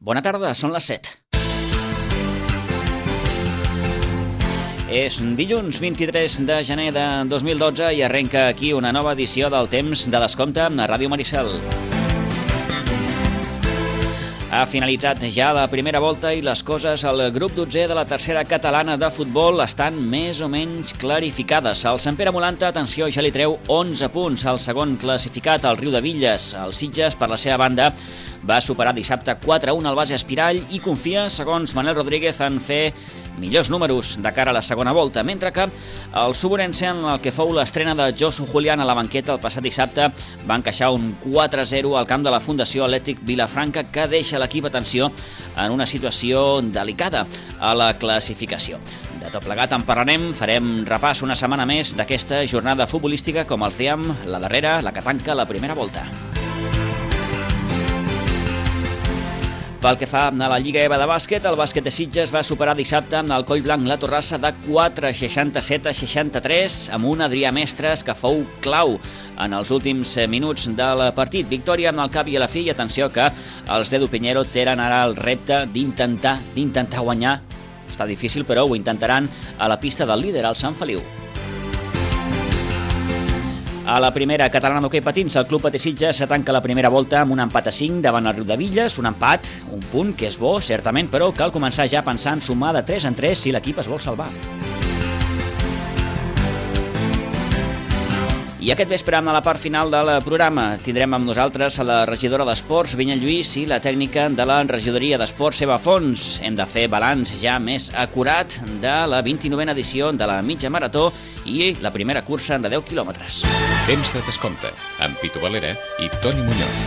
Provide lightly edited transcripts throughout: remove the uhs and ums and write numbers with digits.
Bona tarda, són les 7. És dilluns 23 de gener de 2012 i arrenca aquí una nova edició del Temps de Descompte a Ràdio Maricel. Ha finalitzat ja la primera volta i les coses al grup 12è de la tercera catalana de futbol estan més o menys clarificades. El Sant Pere Molanta, atenció, ja li treu 11 punts al segon classificat, el Riudebitlles. El Sitges, per la seva banda, va superar dissabte 4-1 al Base Espirall i confia, segons Manel Rodríguez, en fer millors números de cara a la segona volta, mentre que el Suburense, en el que fou l'estrena de Josu Julián a la banqueta el passat dissabte, va encaixar un 4-0 al camp de la Fundació Atlètic Vilafranca, que deixa l'equip, atenció, en una situació delicada a la classificació. De tot plegat en parlarem, farem repàs una setmana més d'aquesta jornada futbolística, com els dèiem, la darrera, la que tanca la primera volta. Pel que fa a la Lliga EVA de bàsquet, el bàsquet de Sitges va superar dissabte amb el Collblanc la Torrassa de 4-67-63 amb un Adrià Mestres que fou clau en els últims minuts del partit. Victòria amb el cap i a la fi, i atenció que els d'Edu Piñero tenen ara el repte d'intentar guanyar. Està difícil, però ho intentaran a la pista del líder, el Sant Feliu. A la primera catalana d'hoquei patins, el Club Patí Sitges se tanca la primera volta amb un empat a 5 davant el Riudebitlles, un empat, un punt que és bo, certament, però cal començar ja a pensar en sumar de 3 en 3 si l'equip es vol salvar. I aquest vespre, a la part final del programa, tindrem amb nosaltres a la regidora d'Esports, Vinyet Lluís, i la tècnica de la regidoria d'Esports, Eva Fons. Hem de fer balanç ja més acurat de la 29a edició de la mitja marató i la primera cursa de 10 quilòmetres. Temps de Descompte, amb Pitu Valera i Toni Muñoz.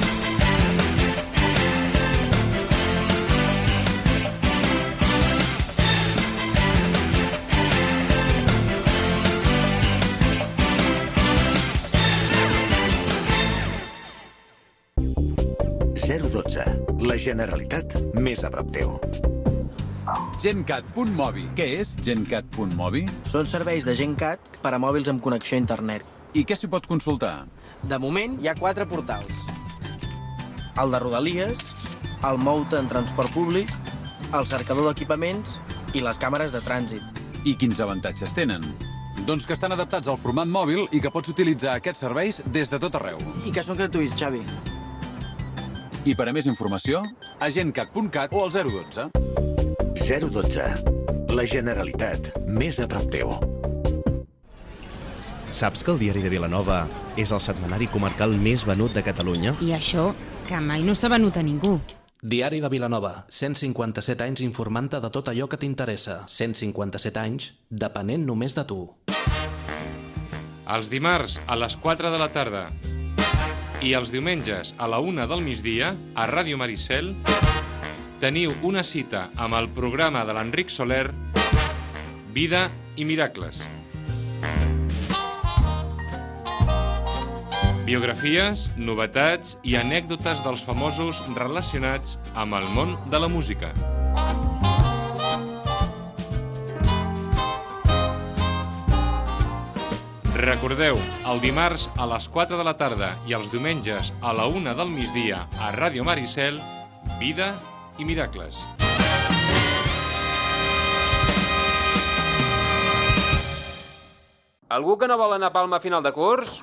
La Generalitat més a prop teu. GenCat.mobi. Què és GenCat.mobi? Són serveis de GenCat per a mòbils amb connexió a internet. I què s'hi pot consultar? De moment hi ha 4 portals. El de Rodalies, el Mouta en transport públic, el cercador d'equipaments i les càmeres de trànsit. I quins avantatges tenen? Doncs que estan adaptats al format mòbil i que pots utilitzar aquests serveis des de tot arreu. I que són gratuïts, Xavi. I per a més informació, a gencat.cat o al 012. 012. La Generalitat més a prop teu. Saps que el Diari de Vilanova és el setmanari comarcal més venut de Catalunya? I això, que mai no s'ha venut a ningú. Diari de Vilanova, 157 anys informant-te de tot allò que t'interessa. 157 anys depenent només de tu. Els dimarts a les 4 de la tarda i els diumenges a la 1 del migdia, a Ràdio Maricel, teniu una cita amb el programa de l'Enric Soler, Vida i Miracles. Biografies, novetats i anècdotes dels famosos relacionats amb el món de la música. Recordeu, el dimarts a les 4 de la tarda i els diumenges a la 1 del migdia a Ràdio Maricel, Vida i Miracles. Algú que no vol anar a Palma a final de curs?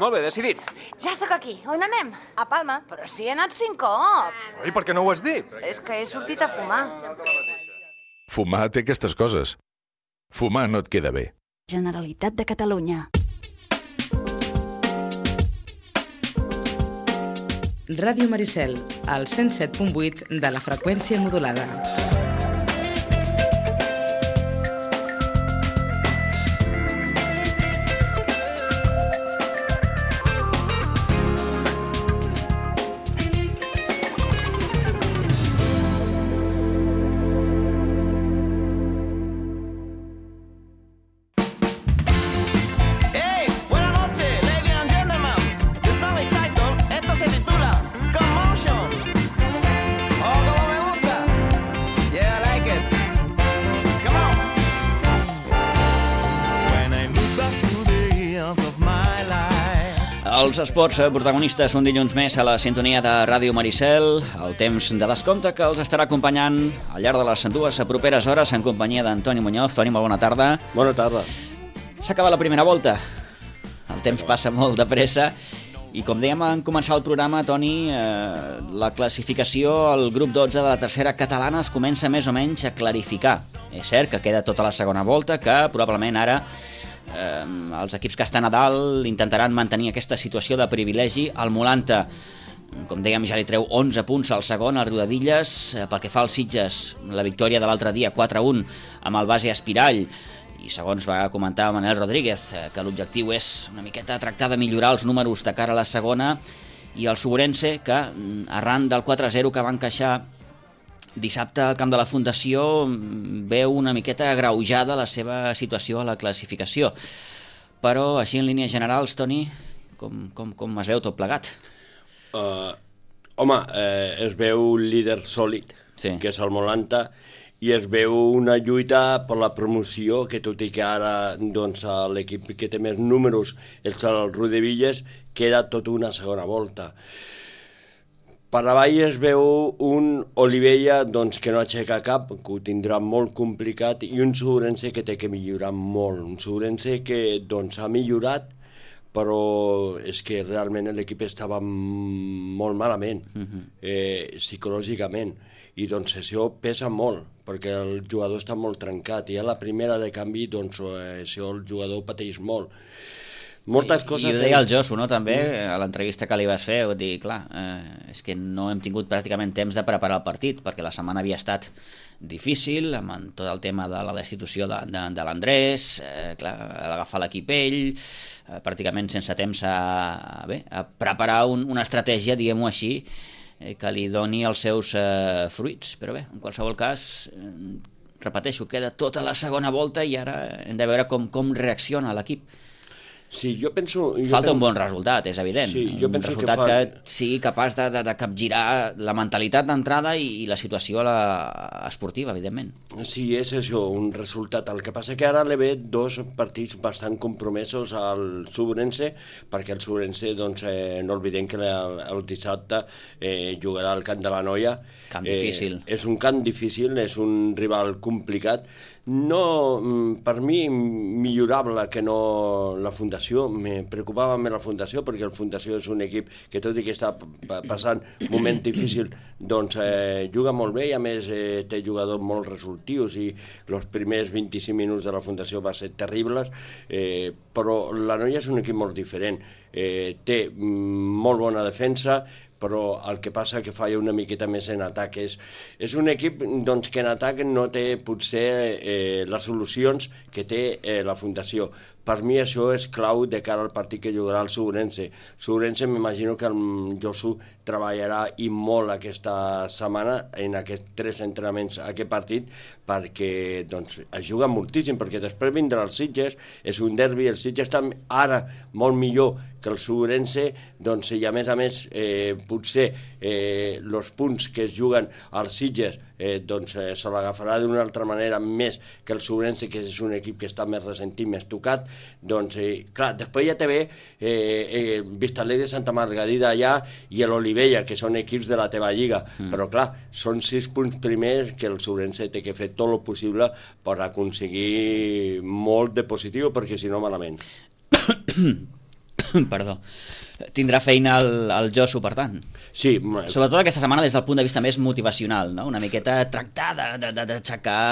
Molt bé, decidit. Ja sóc aquí. On anem? A Palma. Però si he anat 5 cops. I per què no ho has dit? És que he sortit a fumar. Fumar té aquestes coses. Fumar no et queda bé. Generalitat de Catalunya. Ràdio Maricel, al 107.8 de la freqüència modulada. Els esports protagonistes un dilluns més a la sintonia de Ràdio Maricel, el temps de descompte que els estarà acompanyant al llarg de les 2 properes hores en companyia d'Antoni Muñoz. Toni, molt bona tarda. Bona tarda. S'acaba la primera volta, el temps passa molt de pressa i com dèiem en començar el programa, Toni, la classificació al grup 12 de la tercera catalana es comença més o menys a clarificar. És cert que queda tota la segona volta, que probablement ara els equips que estan a dalt intentaran mantenir aquesta situació de privilegi. El Molanta, com dèiem, ja li treu 11 punts al segon, al Riudebitlles. Pel que fa als Sitges, la victòria de l'altre dia 4-1 amb el base Espirall, i segons va comentar Manel Rodríguez, que l'objectiu és una miqueta tractar de millorar els números de cara a la segona, i el Sobrense, que arran del 4-0 que va encaixar dissabte al camp de la Fundació, veu una miqueta agreujada la seva situació a la classificació. Però així en línies generals, Toni, com es veu tot plegat? Es veu líder sòlid, que és el Molanta, i es veu una lluita per la promoció, que tot i que ara l'equip que té més números és el Riudebitlles, queda tot una segona volta. Per avall es veu un Olivella que no aixeca cap, que ho tindrà molt complicat, i un Sobrense que té que millorar molt. Un Sobrense que ha millorat, però és que realment l'equip estava molt malament, psicològicament, i això pesa molt, perquè el jugador està molt trencat, i a la primera de canvi això el jugador pateix molt. Moltes coses... I ho deia el Josu, no?, també, a l'entrevista que li vas fer, ho dir, clar, és que no hem tingut pràcticament temps de preparar el partit, perquè la setmana havia estat difícil, amb tot el tema de la destitució de l'Andrés, agafar l'equip ell, pràcticament sense temps a preparar una estratègia, diguem-ho així, que li doni els seus fruits. Però bé, en qualsevol cas, repeteixo, queda tota la segona volta i ara hem de veure com reacciona l'equip. Sí, jo penso... Falta un bon resultat, és evident. Un resultat que sigui capaç de capgirar la mentalitat d'entrada i la situació esportiva, evidentment. Sí, és això, un resultat. El que passa que ara li ve 2 partits bastant compromesos al Sobrense, perquè el Sobrense, no oblidem que el dissabte jugarà al Camp de la Noia. Camp difícil. És un camp difícil, és un rival complicat. No, per mi, millorable que no la Fundació. Me preocupava més la Fundació, perquè la Fundació és un equip que, tot i que està passant un moment difícil, juga molt bé i a més té jugadors molt resolutius i els primers 25 minuts de la Fundació van ser terribles, però la Noia és un equip molt diferent. Té molt bona defensa, però el que passa que falla una miqueta més en atac. És un equip que en atac no té potser les solucions que té la Fundació. Per mi això és clau de cara al partit que jugarà el Sobrense. Sobrense m'imagino que el Josu treballarà i molt aquesta setmana en aquests 3 entrenaments a aquest partit, perquè es juga moltíssim, perquè després vindrà el Sitges, és un derbi, el Sitges està ara molt millor que el Sobrense, i a més potser els punts que es juguen als Sitges se l'agafarà d'una altra manera més que el Sobrense, que és un equip que està més ressentit, més tocat. Clar, després ja te ve Vistalegre de Santa Margarida allà i l'Olivella, que són equips de la teva lliga, però clar, són 6 punts primers que el Sobrense té que fer tot el possible per aconseguir molt de positiu, perquè si no malament. Perdó. Tindrà feina el Josu, per tant. Sí. Sobretot aquesta setmana des del punt de vista més motivacional, no? Una miqueta tractar d'aixecar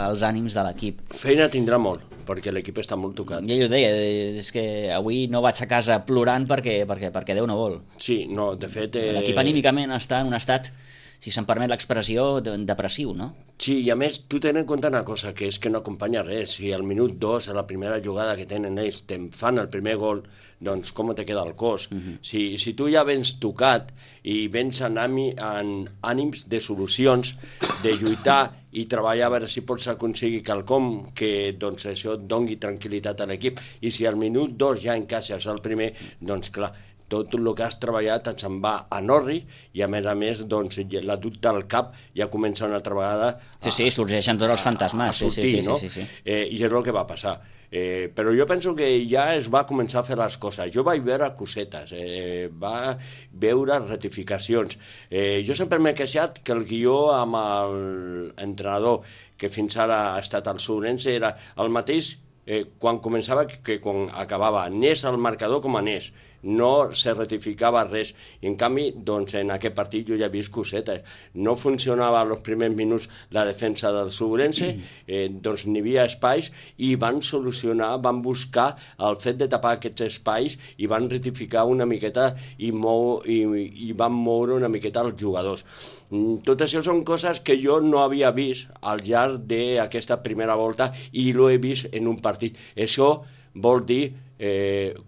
els ànims de l'equip. Feina tindrà molt, perquè l'equip està molt tocat. Ja ho deia, és que avui no vaig a casa plorant perquè Déu no vol. Sí, no, de fet... L'equip anímicament està en un estat, si se'm permet l'expressió, depressiu, no? Sí, i a més, tu tens en compte una cosa, que és que no acompanya res. Si al minut 2, a la primera jugada que tenen ells, te'n fan el primer gol, doncs com te queda el cos? Si tu ja vens tocat i vens en ànims de solucions, de lluitar i treballar a veure si pots aconseguir quelcom que això et doni tranquil·litat a l'equip, i si al minut 2 ja encaixes el primer, doncs clar, tot el que has treballat et se'n va a Norri i a més, doncs, la dubte al cap ja comença una altra vegada Sí, sorgeixen tots els fantasmes. A sortir, no? I és el que va passar. Però jo penso que ja es va començar a fer les coses. Jo vaig veure cosetes, va veure rectificacions. Jo sempre m'he queixat que el guió amb l'entrenador que fins ara ha estat el Sourense era el mateix quan començava que quan acabava. Anés al marcador com anés. No se rectificava res. I en canvi, doncs, en aquest partit jo ja he vist cosetes. No funcionava als primers minuts la defensa del Sourense, doncs n'hi havia espais i van solucionar, van buscar el fet de tapar aquests espais i van rectificar una miqueta i van moure una miqueta els jugadors. Tot això són coses que jo no havia vist al llarg d'aquesta primera volta i l'ho he vist en un partit. Això vol dir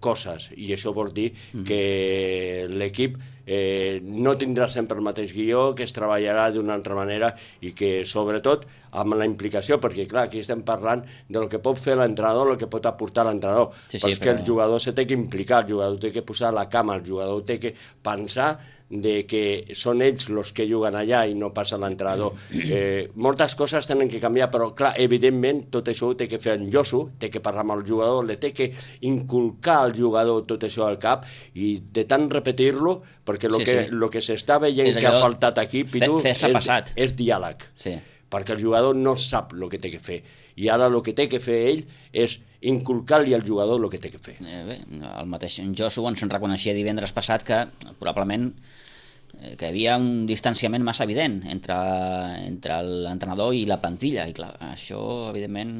coses, i això vol dir que l'equip no tindrà sempre el mateix guió, que es treballarà d'una altra manera i que sobretot amb la implicació, perquè clar, aquí estem parlant del que pot fer l'entrenador, el que pot aportar l'entrenador, però és que el jugador se té que implicar, el jugador té que posar la cama, el jugador té que pensar de que són ells els que juguen allà i no passa l'entrenador. Moltes coses tenen que canviar, però clar, evidentment tot això ho té que fer en Josu, té que parlar amb el jugador, li té que inculcar al jugador tot això al cap i de tant repetir-lo, perquè el que s'està veient que ha faltat aquí, Pitu, és diàleg, perquè el jugador no sap el que té que fer i ara el que té que fer ell és inculcar-li al jugador el que té que fer. Bé, el mateix Josu ens reconeixia divendres passat que probablement que hi havia un distanciament massa evident entre l'entrenador i la plantilla, i clar, això evidentment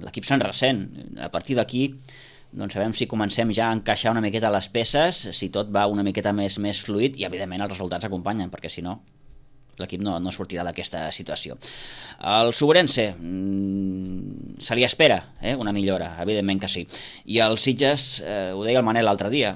l'equip se'n ressent. A partir d'aquí doncs sabem si comencem ja a encaixar una miqueta les peces, si tot va una miqueta més fluid i evidentment els resultats acompanyen, perquè si no l'equip no sortirà d'aquesta situació. El Sourense se li espera una millora, evidentment que sí, i els Sitges, ho deia el Manel l'altre dia,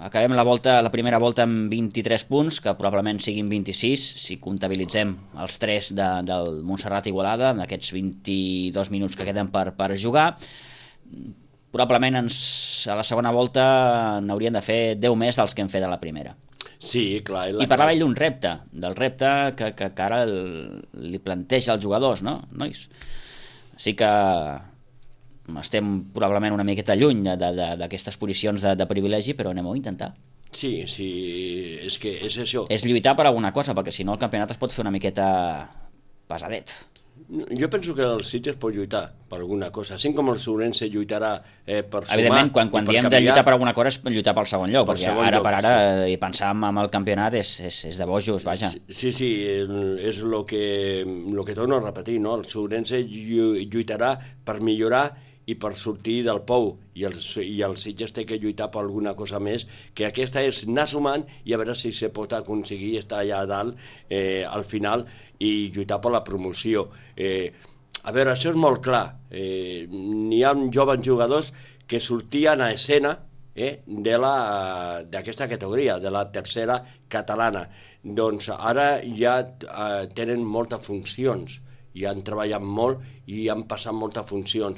acabem la primera volta amb 23 punts, que probablement siguin 26 si comptabilitzem els 3 del Montserrat Igualada, amb aquests 22 minuts que queden per jugar. Probablement a la segona volta n'hauríem de fer 10 més dels que hem fet a la primera. Sí, clar. I parlava ell d'un repte, del repte que ara li planteja als jugadors, no, nois? Sí que estem probablement una miqueta lluny d'aquestes posicions de privilegi, però anem-ho a intentar. Sí, és que és això. És lluitar per alguna cosa, perquè si no el campionat es pot fer una miqueta pesadet. Jo penso que el Sitges pot lluitar per alguna cosa, així com el Sourense lluitarà per sumar. Evidentment, quan diem de lluitar per alguna cosa és lluitar pel segon lloc, perquè ara per ara i pensar en el campionat és de bojos, vaja. Sí, és el que torno a repetir, no? El Sourense lluitarà per millorar i per sortir del pou, i el Sitges té que lluitar per alguna cosa més, que aquesta és anar sumant i a veure si se pot aconseguir estar allà a dalt al final i lluitar per la promoció. A veure, això és molt clar. N'hi ha joves jugadors que sortien a escena d'aquesta categoria, de la tercera catalana. Doncs ara ja tenen moltes funcions, i han treballat molt i han passat moltes funcions.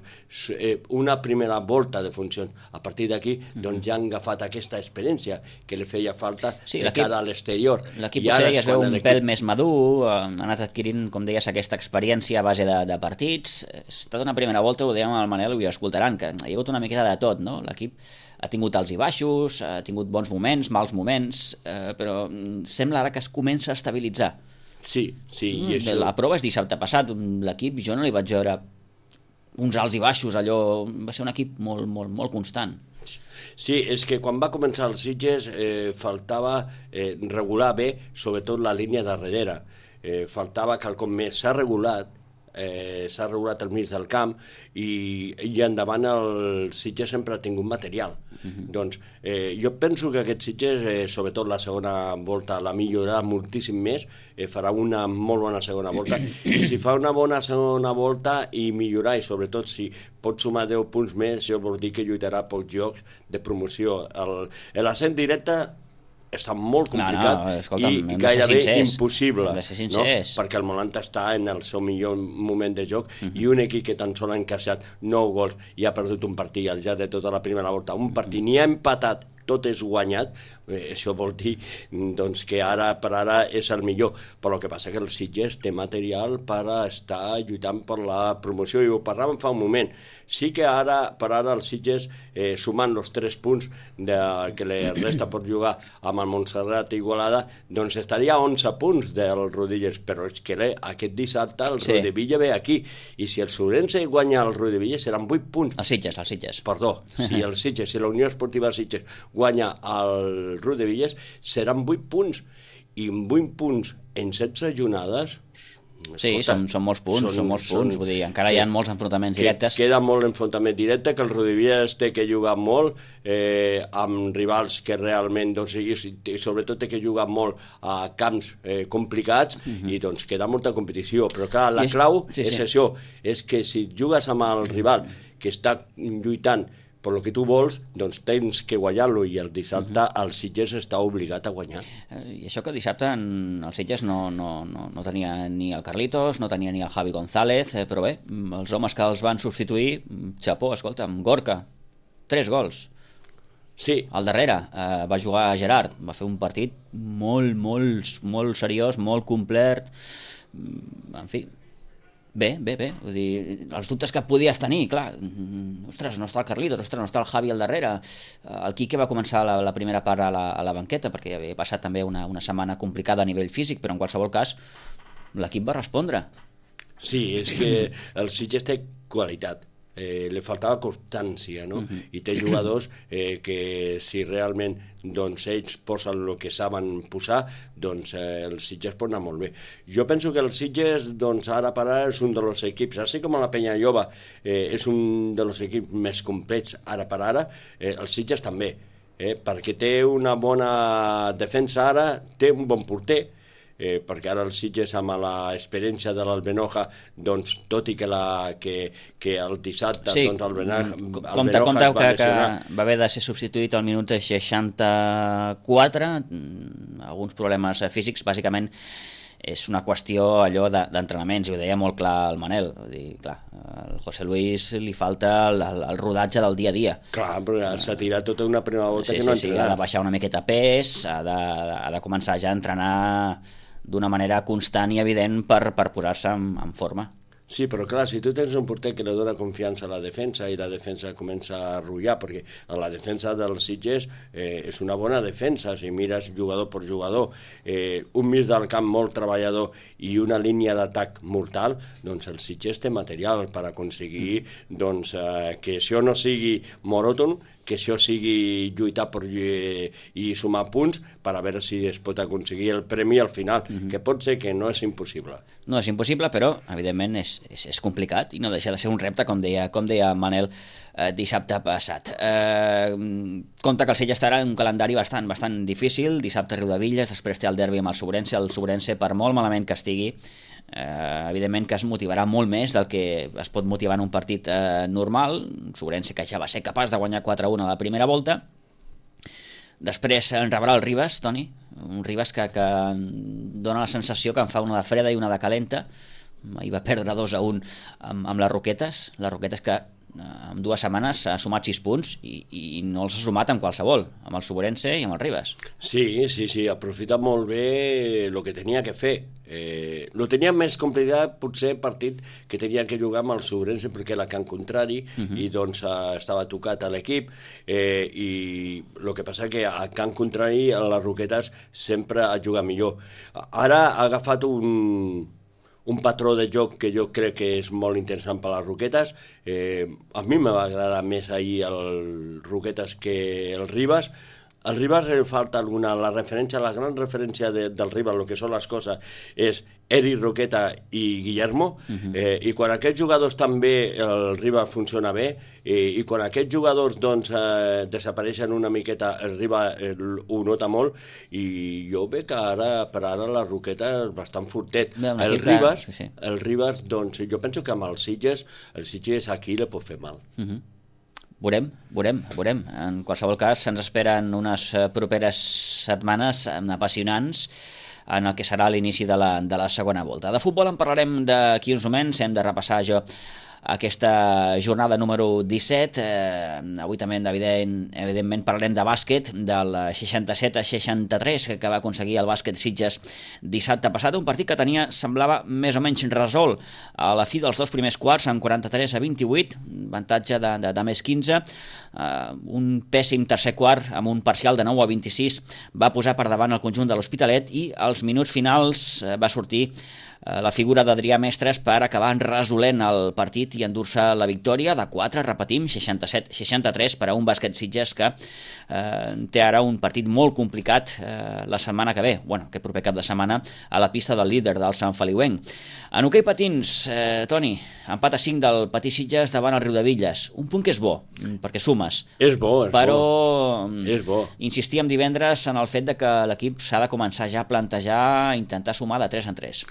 Una primera volta de funcions. A partir d'aquí doncs ja han agafat aquesta experiència que li feia falta de cara a l'exterior. L'equip potser ja es veu un pèl més madur, ha anat adquirint, com deies, aquesta experiència a base de partits. Ha estat una primera volta, ho dèiem al Manel i ho escoltaran, que hi ha hagut una miqueta de tot, no? L'equip ha tingut alts i baixos, ha tingut bons moments, mals moments, però sembla ara que es comença a estabilitzar. Sí. I això... La prova és dissabte passat, l'equip jo no li vaig veure uns alts i baixos, allò va ser un equip molt constant. Sí, és que quan va començar el Sitges faltava regular bé, sobretot la línia de darrere. Faltava quelcom més. S'ha regulat al mig del camp i endavant el Sitges sempre ha tingut material. Doncs jo penso que aquest Sitges, sobretot la segona volta, la millorarà moltíssim més, farà una molt bona segona volta, i si fa una bona segona volta i millorar, i sobretot si pot sumar 10 punts més, això vol dir que lluitarà pocs jocs de promoció. L'ascens directe està molt complicat i gairebé impossible, no? Perquè el Molanta està en el seu millor moment de joc i un equip que tan sols ha encaixat 9 gols i ha perdut un partit al llarg de tota la primera volta, un partit, ni ha empatat tot és guanyat, això vol dir doncs, que ara per ara és el millor, però el que passa que el Sitges té material per estar lluitant per la promoció, i ho parlàvem fa un moment. Sí que per ara el Sitges, sumant els 3 punts que li resta per jugar amb el Montserrat i Igualada, doncs estaria a 11 punts del Rodilles, però és que aquest dissabte el Rodevilla ve aquí, i si el Sobrense guanya el Rodevilla seran 8 punts. El Sitges. Perdó, si el Sitges, si la Unió Esportiva Sitges guanya el Rodevilles, seran 8 punts, i amb 8 punts en 16 jornades... Sí, són molts punts, vull dir, encara hi ha molts enfrontaments directes. Queda molt enfrontament directe, que el Rodevilles té que jugar molt amb rivals que realment, doncs, i sobretot té que jugar molt a camps complicats, i doncs queda molta competició, però clar, la clau és això, és que si jugues amb el rival que està lluitant per el que tu vols, doncs tens que guanyar-lo, i el dissabte el Sitges està obligat a guanyar. I això que dissabte el Sitges no tenia ni el Carlitos, no tenia ni el Javi González, però bé, els homes que els van substituir, xapó, escolta, amb Gorka, 3 gols. Sí. Al darrere va jugar Gerard, va fer un partit molt seriós, molt complet, en fi. Bé, vull dir, els dubtes que podies tenir, clar, ostres, no està el Carlitos, ostres, no està el Javi al darrere, el Quique va començar la primera part a la banqueta, perquè havia passat també una setmana complicada a nivell físic, però en qualsevol cas l'equip va respondre. Sí, és que el Sitges té qualitat, li faltava constància, no? I té jugadors que si realment doncs, ells posen el que saben posar, doncs el Sitges pot anar molt bé. Jo penso que el Sitges doncs, ara per ara és un dels equips, així com la Penya Lloba és un dels equips més complets ara per ara, el Sitges també, perquè té una bona defensa ara, té un bon porter, perquè ara el Sitges amb l'experiència de l'Albenoja, doncs tot i que el dissabte doncs, compte que va haver de ser substituït al minut 64, alguns problemes físics, bàsicament és una qüestió allò d'entrenaments, i ho deia molt clar el Manel, vull dir, clar, al José Luis li falta el rodatge del dia a dia. Clar, però s'ha tirat tota una primera volta que no ha entrenat. Ha de baixar una miqueta pes, ha de començar ja a entrenar d'una manera constant i evident per posar-se en forma. Sí, però clar, si tu tens un porter que li dona confiança a la defensa i la defensa comença a arrullar, perquè la defensa del Sitges és una bona defensa, si mires jugador per jugador, un mig del camp molt treballador i una línia d'atac mortal, doncs el Sitges té material per aconseguir doncs, que això no sigui monòton, que això sigui lluitar i sumar punts per a veure si es pot aconseguir el premi al final, que pot ser que no és impossible. No és impossible, però evidentment és complicat i no deixa de ser un repte, com deia Manel dissabte passat. Compte que el Sitges estarà en un calendari bastant difícil, dissabte Riudevilles, després té el derbi amb el Sobrense, per molt malament que estigui, evidentment que es motivarà molt més del que es pot motivar en un partit normal. Sobrense que ja va ser capaç de guanyar 4-1 a la primera volta. Després en rebrà el Ribas, Toni, un Ribas que dona la sensació que en fa una de freda i una de calenta. Ahir va perdre 2-1 amb les Roquetes que en 2 setmanes ha sumat 6 punts i no els ha sumat amb qualsevol, amb el Sobrense i amb el Ribas. Sí, ha aprofitat molt bé el que tenia que fer. Lo tenia més complicat potser el partit que tenia que jugar amb el Sobrense, perquè era camp contrari i doncs estava tocat a l'equip, i el que passa que a camp contrari a les Roquetes sempre ha jugat millor. Ara ha agafat un patró de joc que jo crec que és molt interessant per a les Roquetes. A mi me va agradar més ahir el Roquetes que el Ribas. Al Ribas li falta la gran referència del Ribas, el que són les coses, és Eric Roqueta i Guillermo, i quan aquests jugadors també, el Ribas funciona bé, i quan aquests jugadors doncs, desapareixen una miqueta, el Ribas ho nota molt, i jo veig que per ara la Roqueta és bastant fortet. El Ribas, doncs, jo penso que amb el Sitges aquí li pot fer mal. Veurem. En qualsevol cas, se'ns esperen unes properes setmanes apassionants en el que serà l'inici de la segona volta. De futbol en parlarem d'aquí uns moments, hem de repassar aquesta jornada número 17. Avui també, evidentment, parlarem de bàsquet, del 67-63 que va aconseguir el bàsquet Sitges dissabte passat, un partit que semblava més o menys resolt a la fi dels dos primers quarts, en 43-28, avantatge de més 15. Un pèssim tercer quart amb un parcial de 9-26 va posar per davant el conjunt de l'Hospitalet i als minuts finals va sortir la figura d'Adrià Mestres per acabar resolent el partit i endur-se la victòria de 4, repetim, 67-63 per a un bàsquet Sitges que té ara un partit molt complicat la setmana que ve, aquest proper cap de setmana, a la pista del líder del Sant Feliuenc. En hoquei patins, Toni, empat a 5 del Patí Sitges davant el Riudebitlles, un punt que és bo, perquè sumes. És bo, és bo. Insistíem divendres en el fet de que l'equip s'ha de començar ja a plantejar, intentar sumar de 3 en 3.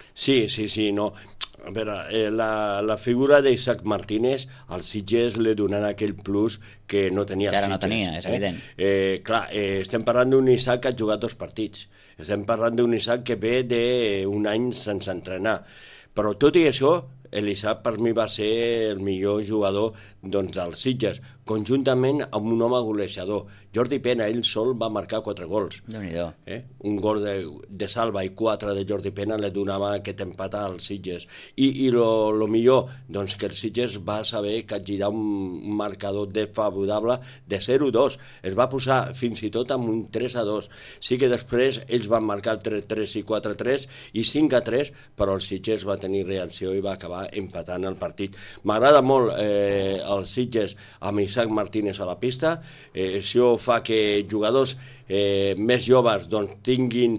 Sí, no. A veure, la figura d'Isaac Martínez al Sitges li donarà aquell plus que no tenia el Sitges. Que ara no tenia, és evident. Clar, estem parlant d'un Isaac que ha jugat 2 partits. Estem parlant d'un Isaac que ve d'un any sense entrenar. Però tot i això, l'Isaac per mi va ser el millor jugador dels Sitges, conjuntament amb un home golejador. Jordi Pena, ell sol va marcar 4 gols. Déu-n'hi-do. Un gol de Salva i 4 de Jordi Pena li donava aquest empat als Sitges. I lo millor, doncs que el Sitges va saber capgirar un marcador desfavorable de 0-2. Es va posar fins i tot amb un 3-2. Sí que després ells van marcar 3-3 i 4-3 i 5-3, però el Sitges va tenir reacció i va acabar empatant el partit. M'agrada molt el Sitges amb Isaac Martínez a la pista. Això fa que jugadors més joves tinguin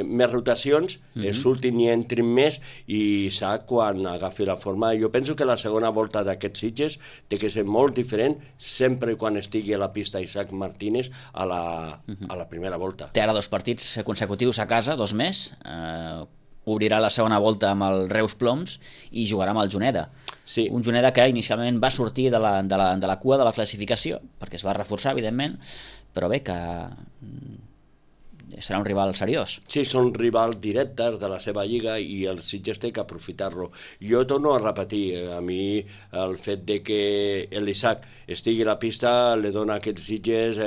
més rotacions, surtin i entrin més, i Isaac, quan agafi la forma, jo penso que la segona volta d'aquests Sitges té que ser molt diferent sempre quan estigui a la pista Isaac Martínez a la primera volta. Té ara 2 partits consecutius a casa, 2 més, obrirà la segona volta amb el Reus Ploms i jugarà amb el Juneda. Sí. Un Juneda que inicialment va sortir de la cua de la classificació, perquè es va reforçar, evidentment, però bé, que serà un rival seriós. Sí, són rivals directes de la seva lliga i el Sitges té que aprofitar-lo. Jo torno a repetir, a mi el fet de que l'Isaac estigui a la pista li dona a aquests Sitges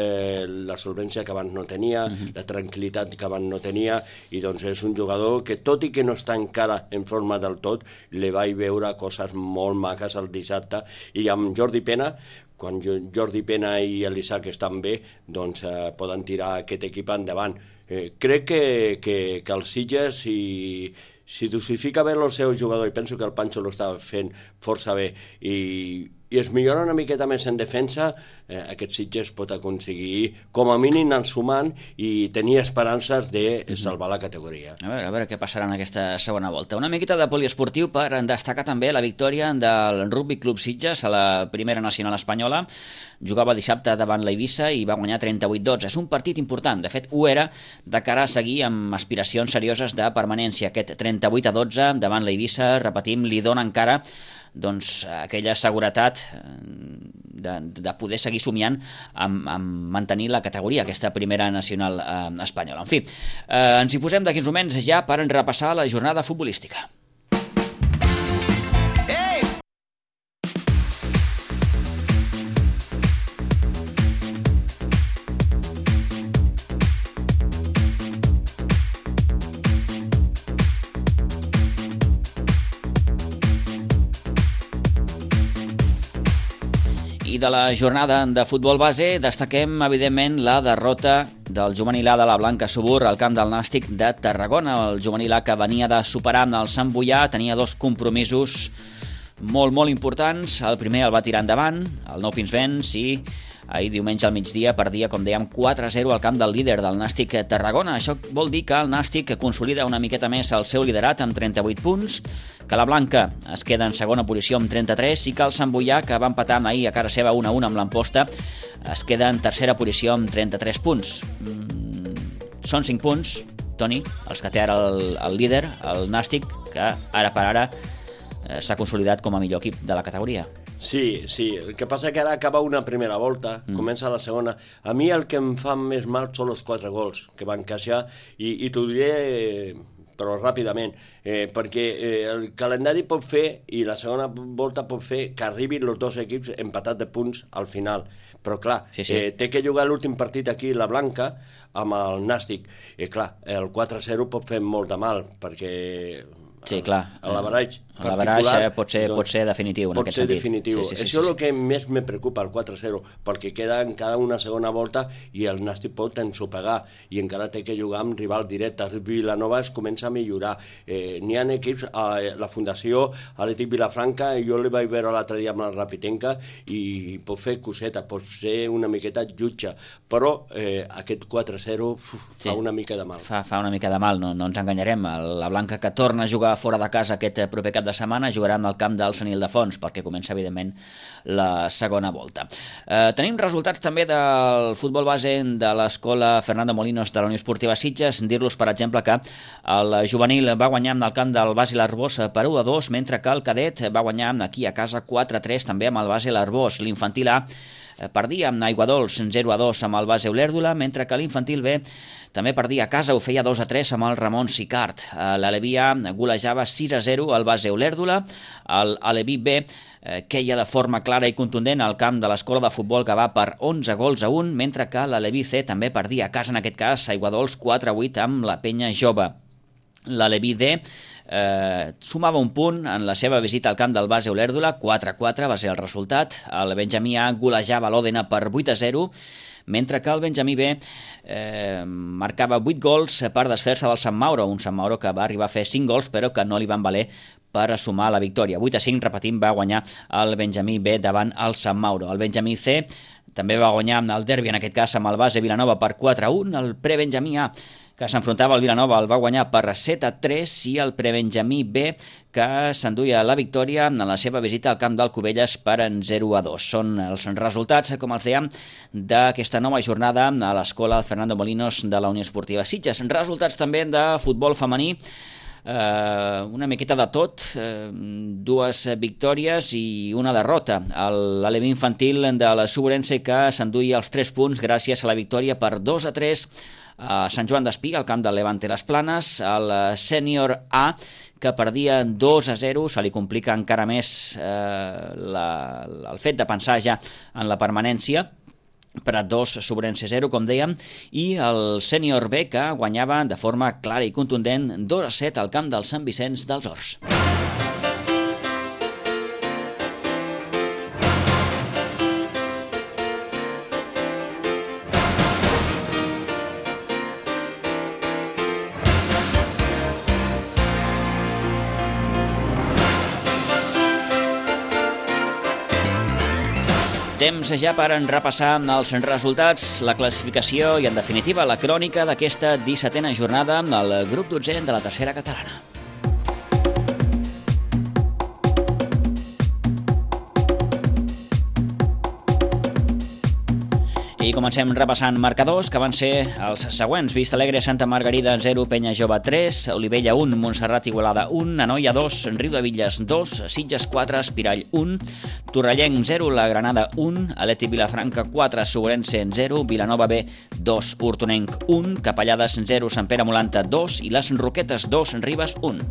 la solvència que abans no tenia, la tranquil·litat que abans no tenia, i doncs és un jugador que, tot i que no està encara en forma del tot, li vaig veure coses molt maques el dissabte. I amb Jordi Pena, quan Jordi Pena i l'Isaac estan bé, doncs poden tirar aquest equip endavant. Crec que el Sitges, si dosifica bé el seu jugador, i penso que el Pancho l'està fent força bé, i es millora una miqueta més en defensa, aquest Sitges pot aconseguir, com a mínim, anar sumant i tenir esperances de salvar la categoria. A veure què passarà en aquesta segona volta. Una miqueta de poliesportiu per destacar també la victòria del Rugby Club Sitges a la primera nacional espanyola. Jugava dissabte davant l'Eivissa i va guanyar 38-12. És un partit important, de fet ho era, de cara a seguir amb aspiracions serioses de permanència. Aquest 38-12 davant l'Eivissa, repetim, li dona encara aquella seguretat de poder seguir somiant amb mantenir la categoria, aquesta primera nacional espanyola. En fi, ens hi posem d'aquí uns moments ja per repassar la jornada futbolística. I de la jornada de futbol base destaquem, evidentment, la derrota del juvenil A de la Blanca Subur al camp del Nàstic de Tarragona. El juvenil A, que venia de superar amb el Sant Boià, tenia 2 compromisos molt importants. El primer el va tirar endavant, el Nou Pinsbens, i ahir diumenge al migdia perdia, com dèiem, 4-0 al camp del líder del Nàstic Tarragona. Això vol dir que el Nàstic consolida una miqueta més el seu liderat amb 38 punts, que la Blanca es queda en segona posició amb 33 i que el Sant Boià, que va empatar ahir a cara seva 1-1 amb l'Amposta, es queda en tercera posició amb 33 punts. Són 5 punts, Toni, els que té ara el líder, el Nàstic, que ara per ara s'ha consolidat com a millor equip de la categoria. Sí, el que passa que ara acaba una primera volta, comença la segona. A mi el que em fa més mal són els 4 gols que van encaixar, i t'ho diré però ràpidament, perquè el calendari pot fer, i la segona volta pot fer, que arribin els dos equips empatats de punts al final. Però clar, té que jugar l'últim partit aquí, la Blanca, amb el Nàstic. I clar, el 4-0 pot fer molt de mal, perquè... Sí, clar. L'avaratge pot ser definitiu en aquest sentit. Pot ser definitiu. Això és el que més me preocupa, el 4-0, perquè queda encara una segona volta i el Nàstic pot ensopegar i encara té que jugar amb rival directe. Vilanova es comença a millorar. N'hi ha equips, la Fundació Atlètic Vilafranca, jo li vaig veure l'altre dia amb la Rapitenca i pot fer coseta, pot ser una miqueta jutge, però aquest 4-0 fa una mica de mal. Fa una mica de mal, no ens enganyarem. La Blanca, que torna a jugar fora de casa aquest proper cap de setmana, jugarà en el camp del Sant Ildefons, perquè comença, evidentment, la segona volta. Tenim resultats també del futbol base de l'escola Fernando Molinos de la Unió Esportiva Sitges. Dir-los, per exemple, que el juvenil va guanyar en el camp del Basi l'Arbós per 1-2, mentre que el cadet va guanyar aquí a casa 4-3 també amb el Basi l'Arbós. L'infantil A perdia amb Aiguadols 0-2 amb el Base Olèrdola, mentre que l'infantil B també perdia a casa, ho feia 2-3 amb el Ramon Sicart. L'Aleví A golejava 6-0 al Base Olèrdola. L'Aleví B queia de forma clara i contundent al camp de l'escola de futbol, que va per 11-1, mentre que l'Aleví C també perdia a casa, en aquest cas, Aiguadols 4-8 amb la Penya Jove. L'Aleví D sumava un punt en la seva visita al camp del Base Olèrdola, 4-4 va ser el resultat. El Benjamí A golejava l'Òdena per 8-0, mentre que el Benjamí B marcava 8 gols per desfer-se del Sant Mauro, un Sant Mauro que va arribar a fer 5 gols però que no li van valer per assumar la victòria. 8-5, repetim, va guanyar el Benjamí B davant el Sant Mauro. El Benjamí C també va guanyar el derbi, en aquest cas amb el Base Vilanova per 4-1. El Prebenjamí A, que s'enfrontava al Vilanova, el va guanyar per 7-3, i el Prebenjamí B, que s'enduia la victòria en la seva visita al camp del Cubelles per 0-2. Són els resultats, com els dèiem, d'aquesta nova jornada a l'escola Fernando Molinos de la Unió Esportiva Sitges. Resultats també de futbol femení, una miqueta de tot, 2 victòries i una derrota. L'Aleví infantil de la Suburense, que s'enduia els 3 punts gràcies a la victòria per 2-3 a Sant Joan d'Espí, al camp del Levante Les Planes. El sènior A, que perdia 2-0, se li complica encara més el fet de pensar ja en la permanència, per a 2 Suburense 0, com dèiem, i el sènior B, que guanyava de forma clara i contundent 2-7 al camp del Sant Vicenç dels Horts. Temps ja per repassar els resultats, la classificació i, en definitiva, la crònica d'aquesta 17a jornada al grup 12 de la tercera catalana. I comencem repassant marcadors, que van ser els següents. Vista Alegre, Santa Margarida 0, Penya Jove 3, Olivella 1, Montserrat Igualada 1, Anoia 2, Riudevilles 2, Sitges 4, Espirall 1, Torrellenc 0, La Granada 1, Atlètic Vilafranca 4, Suburense 0, Vilanova B 2, Hortonenc 1, Capellades 0, Sant Pere Molanta 2 i les Roquetes 2, Ribes 1.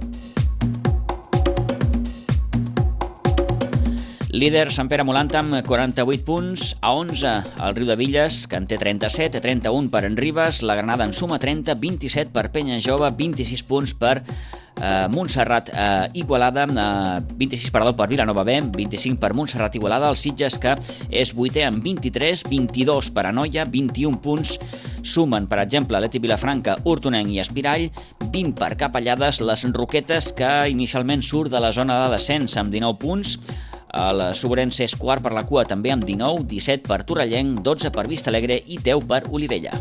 Líder Sant Pere Molanta amb 48 punts, a 11 el Riudevilles, que en té 37, 31 per en Ribes, la Granada en suma 30, 27 per Penya Jove, 26 punts per Montserrat Igualada, 26 per Vilanova B, 25 per Montserrat Igualada, el Sitges, que és 8è amb 23, 22 per Anoia, 21 punts sumen, per exemple, Atlètic Vilafranca, Hortonenc i Espirall, 20 per Capellades, les Roquetes, que inicialment surt de la zona de descens amb 19 punts, el Suburense és quart per la cua també amb 19, 17 per Torrellenc, 12 per Vista Alegre i 10 per Olivella.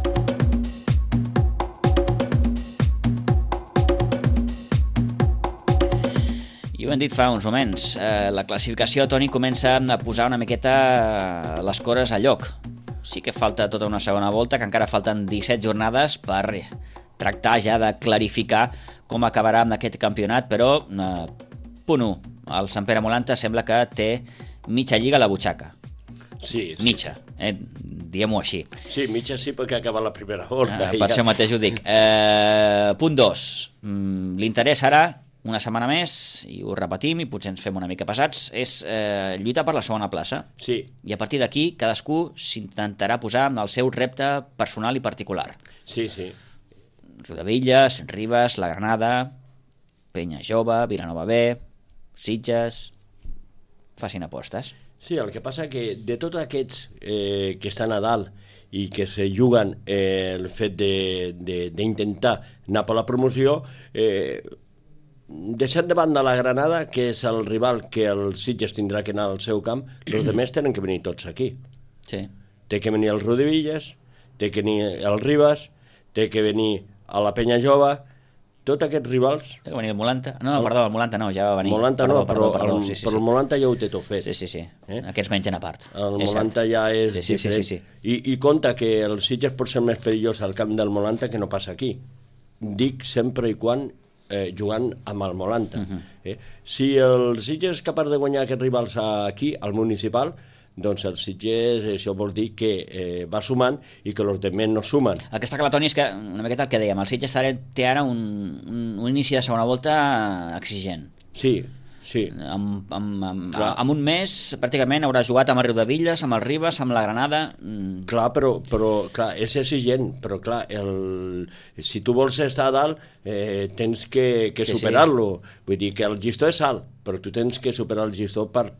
I ho hem dit fa uns moments, la classificació, Toni, comença a posar una miqueta les coses a lloc. Sí que falta tota una segona volta, que encara falten 17 jornades per tractar ja de clarificar com acabarà amb aquest campionat, però punt 1. El Sant Pere Molanta sembla que té mitja lliga a la butxaca. Sí. Mitja. diguem-ho així. Sí, mitja sí, perquè ha acabat la primera volta. Per això mateix ho dic. Punt 2. L'interès ara, una setmana més, i ho repetim, i potser ens fem una mica pesats, és lluitar per la segona plaça. Sí. I a partir d'aquí, cadascú s'intentarà posar en el seu repte personal i particular. Sí, sí. Riudebitlles, Ribes, la Granada, Penya Jove, Vilanova B, Sitges... Facin apostes. Sí, el que passa que de tots aquests que estan a dalt i que se juguen el fet d'intentar anar per la promoció, deixant de banda la Granada, que és el rival que el Sitges tindrà que anar al seu camp, els altres tenen que venir tots aquí. Sí. Té que venir el Riudebitlles, té que venir el Ribes, té que venir a la Penya Jove, tots aquests rivals... Té que venir el Molanta. No, perdó, el Molanta no, ja va venir. Molanta perdó, no, perdó, sí. Però el Molanta ja ho té tot fet. Sí. Aquests mengen a part. El Molanta ja és diferent. Sí. I compta que el Sitges pot ser més perillós al camp del Molanta que no passa aquí. Dic sempre i quan jugant amb el Molanta. Si el Sitges és capaç de guanyar aquests rivals aquí, al municipal, doncs el Sitges, això vol dir que va sumant i que els altres no sumen. El que està clar, Toni, és que, una miqueta el que dèiem, el Sitges té ara un inici de segona volta exigent. Sí. Amb un mes, pràcticament, haurà jugat amb el Riudebitlles, amb el Ribes, amb la Granada... Clar, però clar, és exigent, però clar, si tu vols estar a dalt, tens que superar-lo. Vull dir que el llistó és alt, però tu tens que superar el llistó per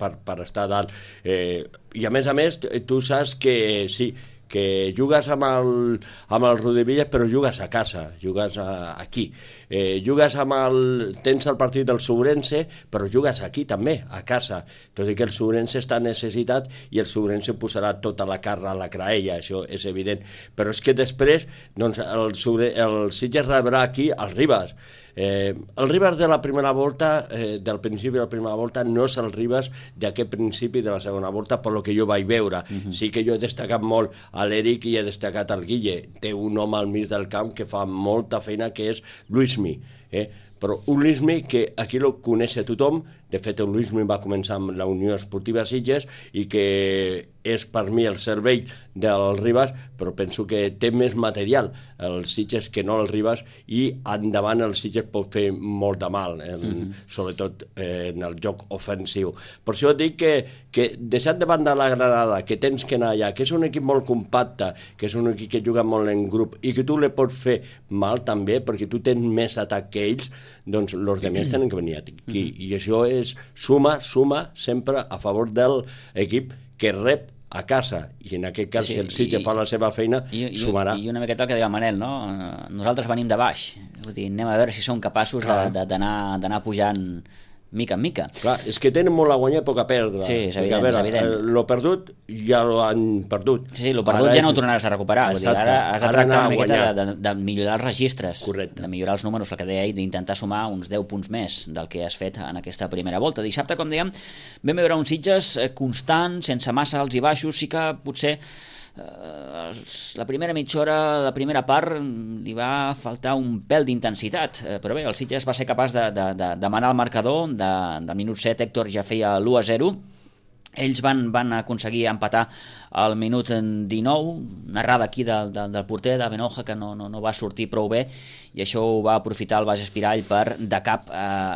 estar a dalt. I a més, tu saps que sí, que jugues amb el Riudebitlles, però jugues a casa, jugues aquí. Tens el partit del Sobrense, però jugues aquí també, a casa. Tot i que el Sobrense està necessitat i el Sobrense posarà tota la carn a la graella, això és evident. Però és que després doncs, el Sitges rebrà aquí els Ribes. El Ribes de la primera volta, del principi de la primera volta, no és el Ribes d'aquest principi de la segona volta, per lo que jo vaig veure. Sí que jo he destacat molt a l'Eric i he destacat al Guille. Té un home al mig del camp que fa molta feina, que és Luismi. Però un Luismi que aquí el coneix tothom. De fet, el Luismi va començar amb la Unió Esportiva Sitges i que és per mi el cervell del Ribes, però penso que té més material el Sitges que no el Ribes, i endavant el Sitges pot fer molt de mal, sobretot en el joc ofensiu. Per això dic que deixant de banda la Granada, que tens que anar allà, que és un equip molt compacte, que és un equip que juga molt en grup i que tu li pots fer mal també, perquè tu tens més atac que ells, doncs els altres tenen que venir aquí. I això és suma sempre a favor de l'equip que rep a casa, i en aquest cas, si el Sitges fa la seva feina, sumarà. I una miqueta el que deia el Manel, no? Nosaltres venim de baix, vull dir, anem a veure si som capaços d'anar pujant mica en mica. Clar, és que tenen molt a guanyar i poc a perdre. Sí, és evident, és evident. Lo perdut ja lo han perdut. Sí, lo perdut ja no ho tornaràs a recuperar. Ara has de tractar una miqueta de millorar els registres, de millorar els números, el que deia, i d'intentar sumar uns 10 punts més del que has fet en aquesta primera volta. Dissabte, com dèiem, vam veure un Sitges constant, sense massa alts i baixos. Sí que potser la primera mitja hora, la primera part, li va faltar un pèl d'intensitat, però bé, el Sitges va ser capaç de manar el marcador. Del minut 7 Héctor ja feia l'1-0. Ells van aconseguir empatar al minut 19, narrada aquí del porter de Benoja, que no va sortir prou bé, i això ho va aprofitar el Baix Espirall per de cap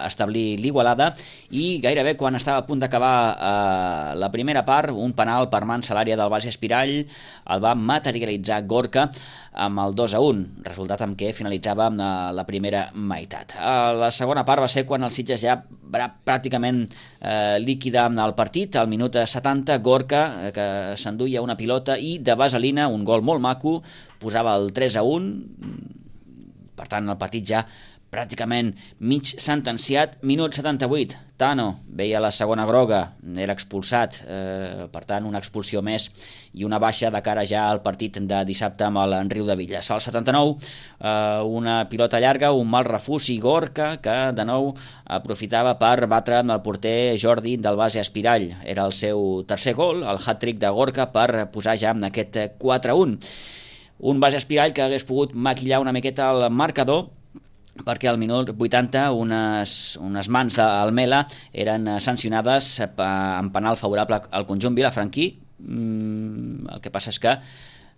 establir l'igualada, i gairebé quan estava a punt d'acabar la primera part, un penal per mans a l'àrea del Baix Espirall el va materialitzar Gorka amb el 2-1, resultat amb què finalitzava la primera meitat. La segona part va ser quan el Sitges ja va pràcticament líquida el partit. Al minut 70, Gorka, que s'enduia una pilota i de vaselina, un gol molt maco, posava el 3-1. Per tant, el partit ja pràcticament mig sentenciat. Minut 78, Tano veia la segona groga, era expulsat, per tant una expulsió més i una baixa de cara ja al partit de dissabte amb el Riudebitlles. Al 79, una pilota llarga, un mal refús i Gorka, que de nou aprofitava per batre amb el porter Jordi del Base Espirall. Era el seu tercer gol, el hat-trick de Gorka, per posar ja en aquest 4-1. Un Base Espirall que hagués pogut maquillar una miqueta el marcador, perquè al minut 80 unes mans d'Almela eren sancionades en penal favorable al conjunt vilafranquí. El que passa és que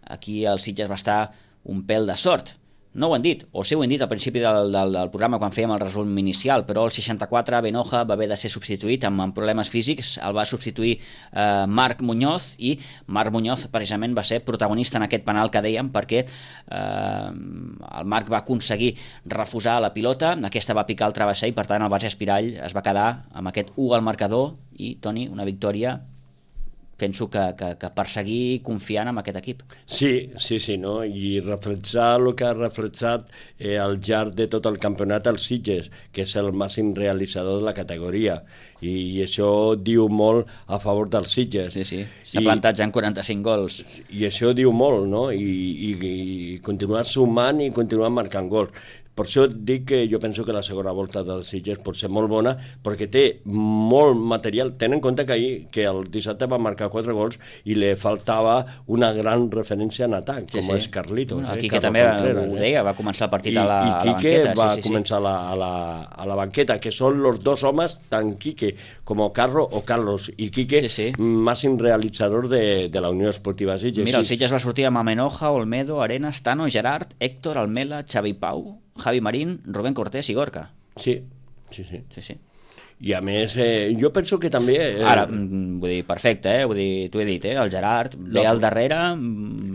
aquí el Sitges va estar un pèl de sort. No ho han dit, o sí ho han dit al principi del programa quan fèiem el resum inicial, però el 64 Benoja va haver de ser substituït amb problemes físics, el va substituir Marc Muñoz, i Marc Muñoz precisament va ser protagonista en aquest penal que dèiem, perquè el Marc va aconseguir refusar la pilota, aquesta va picar el travesser i per tant el Barça Espirall es va quedar amb aquest 1 al marcador i, Toni, una victòria penso que per seguir confiant en aquest equip. Sí, no? I reflexar el que ha reflexat al llarg de tot el campionat el Sitges, que és el màxim realitzador de la categoria, i això diu molt a favor del Sitges. Sí, s'ha plantat ja en 45 gols. I això diu molt, no? I continuar sumant i continuar marcant gols. Per això dic que jo penso que la segona volta del Sitges pot ser molt bona, perquè té molt material. Ten en compte que el dissabte va marcar 4 gols i li faltava una gran referència en atac, com és Carlitos. El Quique també ho deia, va començar el partit a la banqueta. I Quique va començar a la banqueta, que són els dos homes, tant Quique com Carro o Carlos i Quique, màxim realitzador de la Unió Esportiva Sitges. Mira, el Sitges va sortir amb Amenoja, Olmedo, Arenas, Tano, Gerard, Héctor, Almela, Xavi Pau, Javi Marín, Rubén Cortés i Gorka. Sí. I a més, jo penso que també... Ara, vull dir, perfecte, vull dir, t'ho he dit, el Gerard ve al darrere...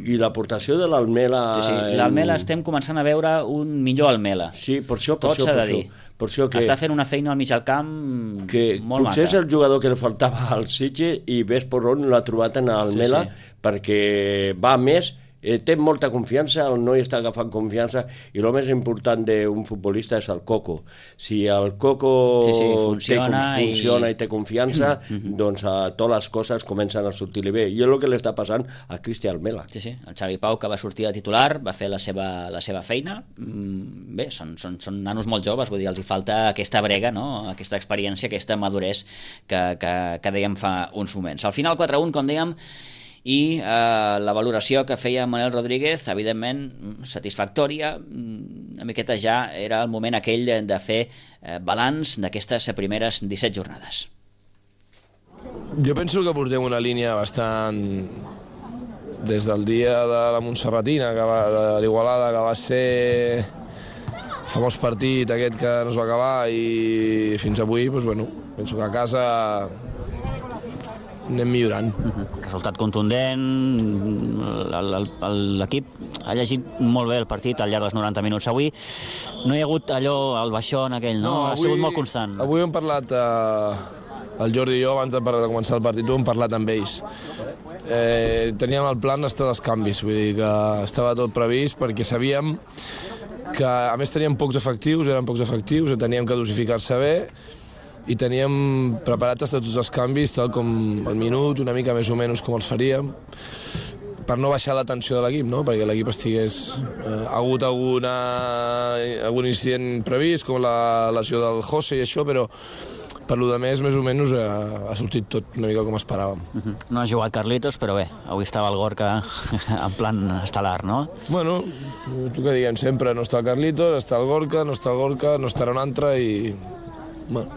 I l'aportació de l'Almela... Sí, l'Almela estem començant a veure un millor Almela. Sí, per això. Tot s'ha de dir. Està fent una feina al mig al camp molt maca. Potser és el jugador que li faltava al Sitges i ves per on l'ha trobat en Almela, perquè va més... té molta confiança, el noi està agafant confiança, i el més important d'un futbolista és el coco. Si el coco funciona i té confiança, doncs totes les coses comencen a sortir-li bé, i és el que li està passant a Cristian Almela. Sí, el Xavi Pau, que va sortir de titular, va fer la seva feina. Bé, són nanos molt joves, vull dir, els hi falta aquesta brega, no? Aquesta experiència, aquesta maduresa que dèiem fa uns moments. Al final 4-1, com dèiem, i la valoració que feia Manel Rodríguez, evidentment satisfactòria. Una miqueta ja era el moment aquell de fer balanç d'aquestes primeres 17 jornades. Jo penso que portem una línia bastant... des del dia de la Montserratina, de l'Igualada, que va ser el famós partit aquest que no es va acabar, i fins avui, penso que a casa anem millorant. Resultat contundent, l'equip ha llegit molt bé el partit al llarg dels 90 minuts. Avui no hi ha hagut allò, el baixón aquell, no? Ha sigut molt constant. Avui hem parlat, el Jordi i jo, abans de començar el partit, hem parlat amb ells. Teníem el plan d'estar dels canvis, vull dir que estava tot previst, perquè sabíem que, a més, teníem pocs efectius, teníem que dosificar-se bé, i teníem preparats tots els canvis, tal com al minut, una mica més o menys com els faríem, per no baixar la tensió de l'equip, no? Perquè l'equip estigués... Ha hagut algun incident previst, com la lesió del José i això, però per lo de més o menys ha sortit tot una mica com esperàvem. No ha jugat Carlitos, però bé, avui estava el Gorka en plan estel·lar, no? Bueno, el que diguem sempre, no està el Carlitos, està el Gorka, no estarà un altre i... Bueno,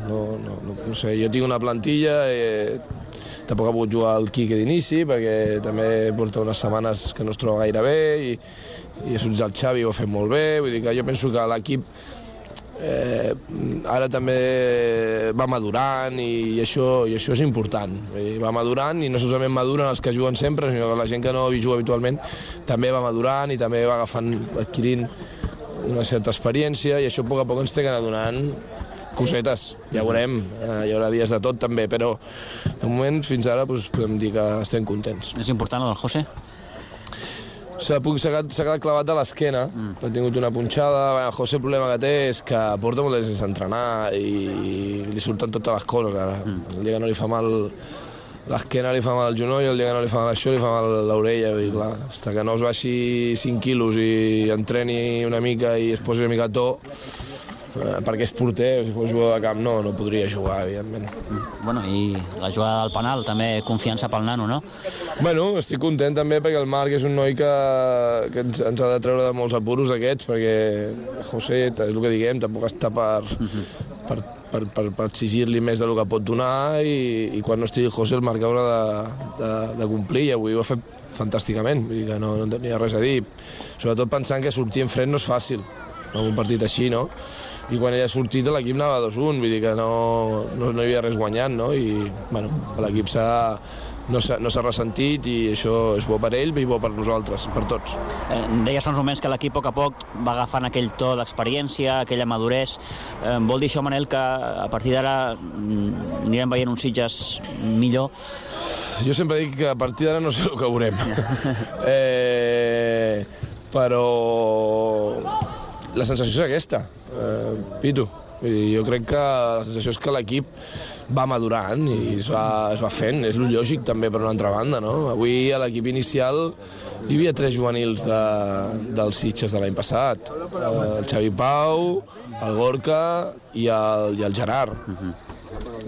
no sé, jo tinc una plantilla, tampoc ha pogut jugar el Quique d'inici, perquè també porta unes setmanes que no es troba gaire bé, i ha sortit el Xavi, ho ha fet molt bé, vull dir que jo penso que l'equip ara també va madurant, i això és important. Va madurant, i no solament maduren els que juguen sempre, sinó que la gent que no juga habitualment també va madurant i també va adquirint una certa experiència, i això a poc ens té que anar donant cosetes. Ja veurem, hi haurà dies de tot també, però de moment fins ara podem dir que estem contents. És important el del José? S'ha quedat clavat a l'esquena, ha tingut una punxada. El José, el problema que té és que porta molt de sense entrenar i li surten totes les coses ara. El dia que no li fa mal l'esquena, li fa mal el genoll, el dia que no li fa mal això, li fa mal l'orella. Fins que no es baixi 5 quilos i entreni una mica i es posi una mica a to, perquè és porter, si fos jugador de camp no podria jugar, evidentment. Bueno, i la jugada del penal, també confiança pel nano, no? Bueno, estic content també perquè el Marc és un noi que ens ha de treure de molts apuros aquests, perquè José, és el que diguem, tampoc està per exigir-li més del que pot donar, i quan no estigui José el Marc haurà de complir, i avui ho ha fet fantàsticament, vull dir que no tenia res a dir. Sobretot pensant que sortir en fred no és fàcil, en un partit així, no? I quan ella ha sortit l'equip anava 2-1, vull dir que no hi havia res guanyant, no? I bueno, l'equip no s'ha ressentit i això és bo per ell i bo per nosaltres, per tots. Deies fa uns moments que l'equip a poc va agafant aquell to d'experiència, aquella maduresa. Vol dir això, Manel, que a partir d'ara anirem veient uns Sitges millor? Jo sempre dic que a partir d'ara no sé el que veurem. Però la sensació és aquesta, Pitu. Jo crec que la sensació és que l'equip va madurant i es va fent. És lo lògic també per una altra banda, no? Avui a l'equip inicial hi havia 3 juvenils dels Sitges de l'any passat. El Xavi Pau, el Gorka i el Gerard.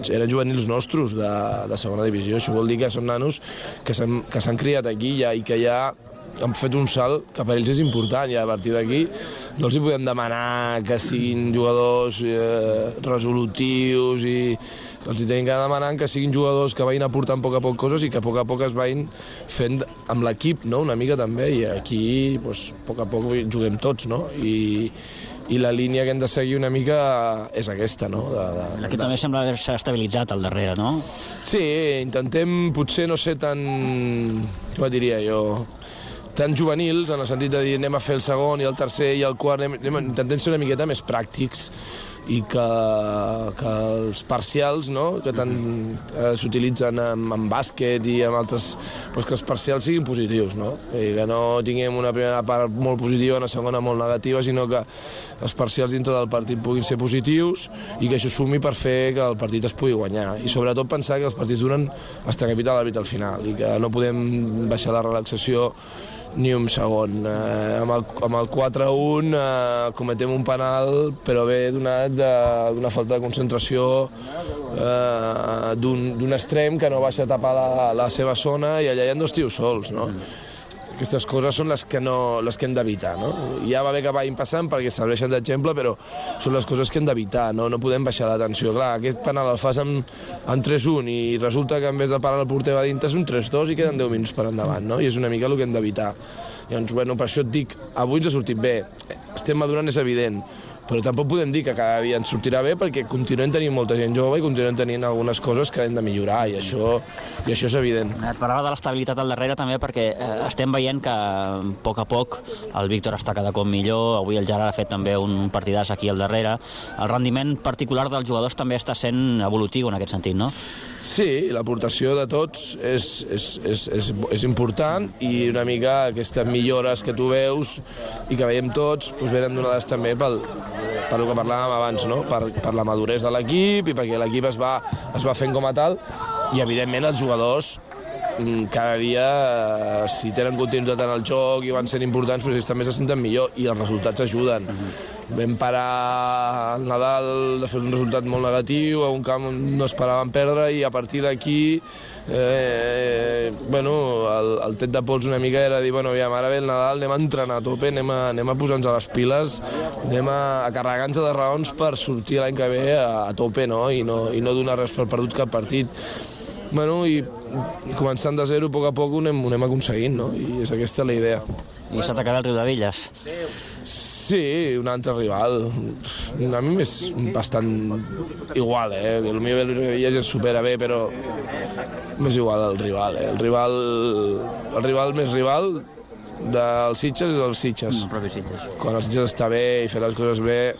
Eren juvenils nostres de segona divisió. Això vol dir que són nanos que s'han criat aquí ja i que ja han fet un salt que per ells és important i a partir d'aquí no els hi podem demanar que siguin jugadors resolutius i els hi tenim que demanar que siguin jugadors que vagin aportant a poc coses i que a poc es vagin fent amb l'equip, no? Una mica també, i aquí doncs, a poc juguem tots, no? I la línia que hem de seguir una mica és aquesta, no? L'equip també sembla haver-se estabilitzat al darrere, no? Sí, intentem potser no ser tan, com diria jo, tan juvenils, en el sentit de dir anem a fer el segon i el tercer i el quart, intentem ser una miqueta més pràctics i que els parcials, no?, que tant s'utilitzen en bàsquet i en altres, doncs que els parcials siguin positius, no? I que no tinguem una primera part molt positiva i una segona molt negativa, sinó que els parcials dintre del partit puguin ser positius i que això sumi per fer que el partit es pugui guanyar. I sobretot pensar que els partits duren fins que pita l'àrbitre al final i que no podem baixar la relaxació ni un segon. Amb el 4-1 cometem un penal, però ve donat d'una falta de concentració d'un extrem que no baixa a tapar la seva zona i allà hi ha 2 tios sols, no? Aquestes coses són les que hem d'evitar, no? Ja va bé que vagin passant perquè serveixen d'exemple, però són les coses que hem d'evitar, no? No podem baixar la tensió. Clar, aquest penal el fas en 3-1 i resulta que en vez de parar el porter va dintre és un 3-2 i queden 10 minuts per endavant, no? I és una mica el que hem d'evitar. Llavors, bueno, per això et dic, avui ens ha sortit bé. Estem madurant, és evident, però tampoc podem dir que cada dia ens sortirà bé perquè continuem tenint molta gent jove i continuem tenint algunes coses que hem de millorar i això és evident. Et parlava de l'estabilitat al darrere també perquè estem veient que a poc el Víctor està cada cop millor, avui el Gerard ha fet també un partidàs aquí al darrere. El rendiment particular dels jugadors també està sent evolutiu en aquest sentit, no? Sí, l'aportació de tots és important i una mica aquestes millores que tu veus i que veiem tots venen donades també per el que parlàvem abans, no? Per la maduresa de l'equip i perquè l'equip es va fent com a tal i evidentment els jugadors cada dia, si tenen continuïtat en el joc i van sent importants, ells també se senten millor i els resultats ajuden. Vam parar el Nadal després d'un resultat molt negatiu, a un camp on no esperàvem perdre i a partir d'aquí el tret de pols una mica era dir, ara ve el Nadal, anem a entrenar a tope, anem a posar-nos a les piles, anem a carregar-nos de raons per sortir l'any que ve a tope, no? I no donar res per perdut cap partit. I començant de zero, a poc ho anem aconseguint, no? I és aquesta la idea. I s'ha atacat el Riudebitlles? Sí, un altre rival. A mi m'és bastant igual, El meu Riudebitlles ens supera bé, però m'és igual el rival, El rival més rival dels Sitges és els Sitges. El propi Sitges. Quan el Sitges està bé i fer les coses bé,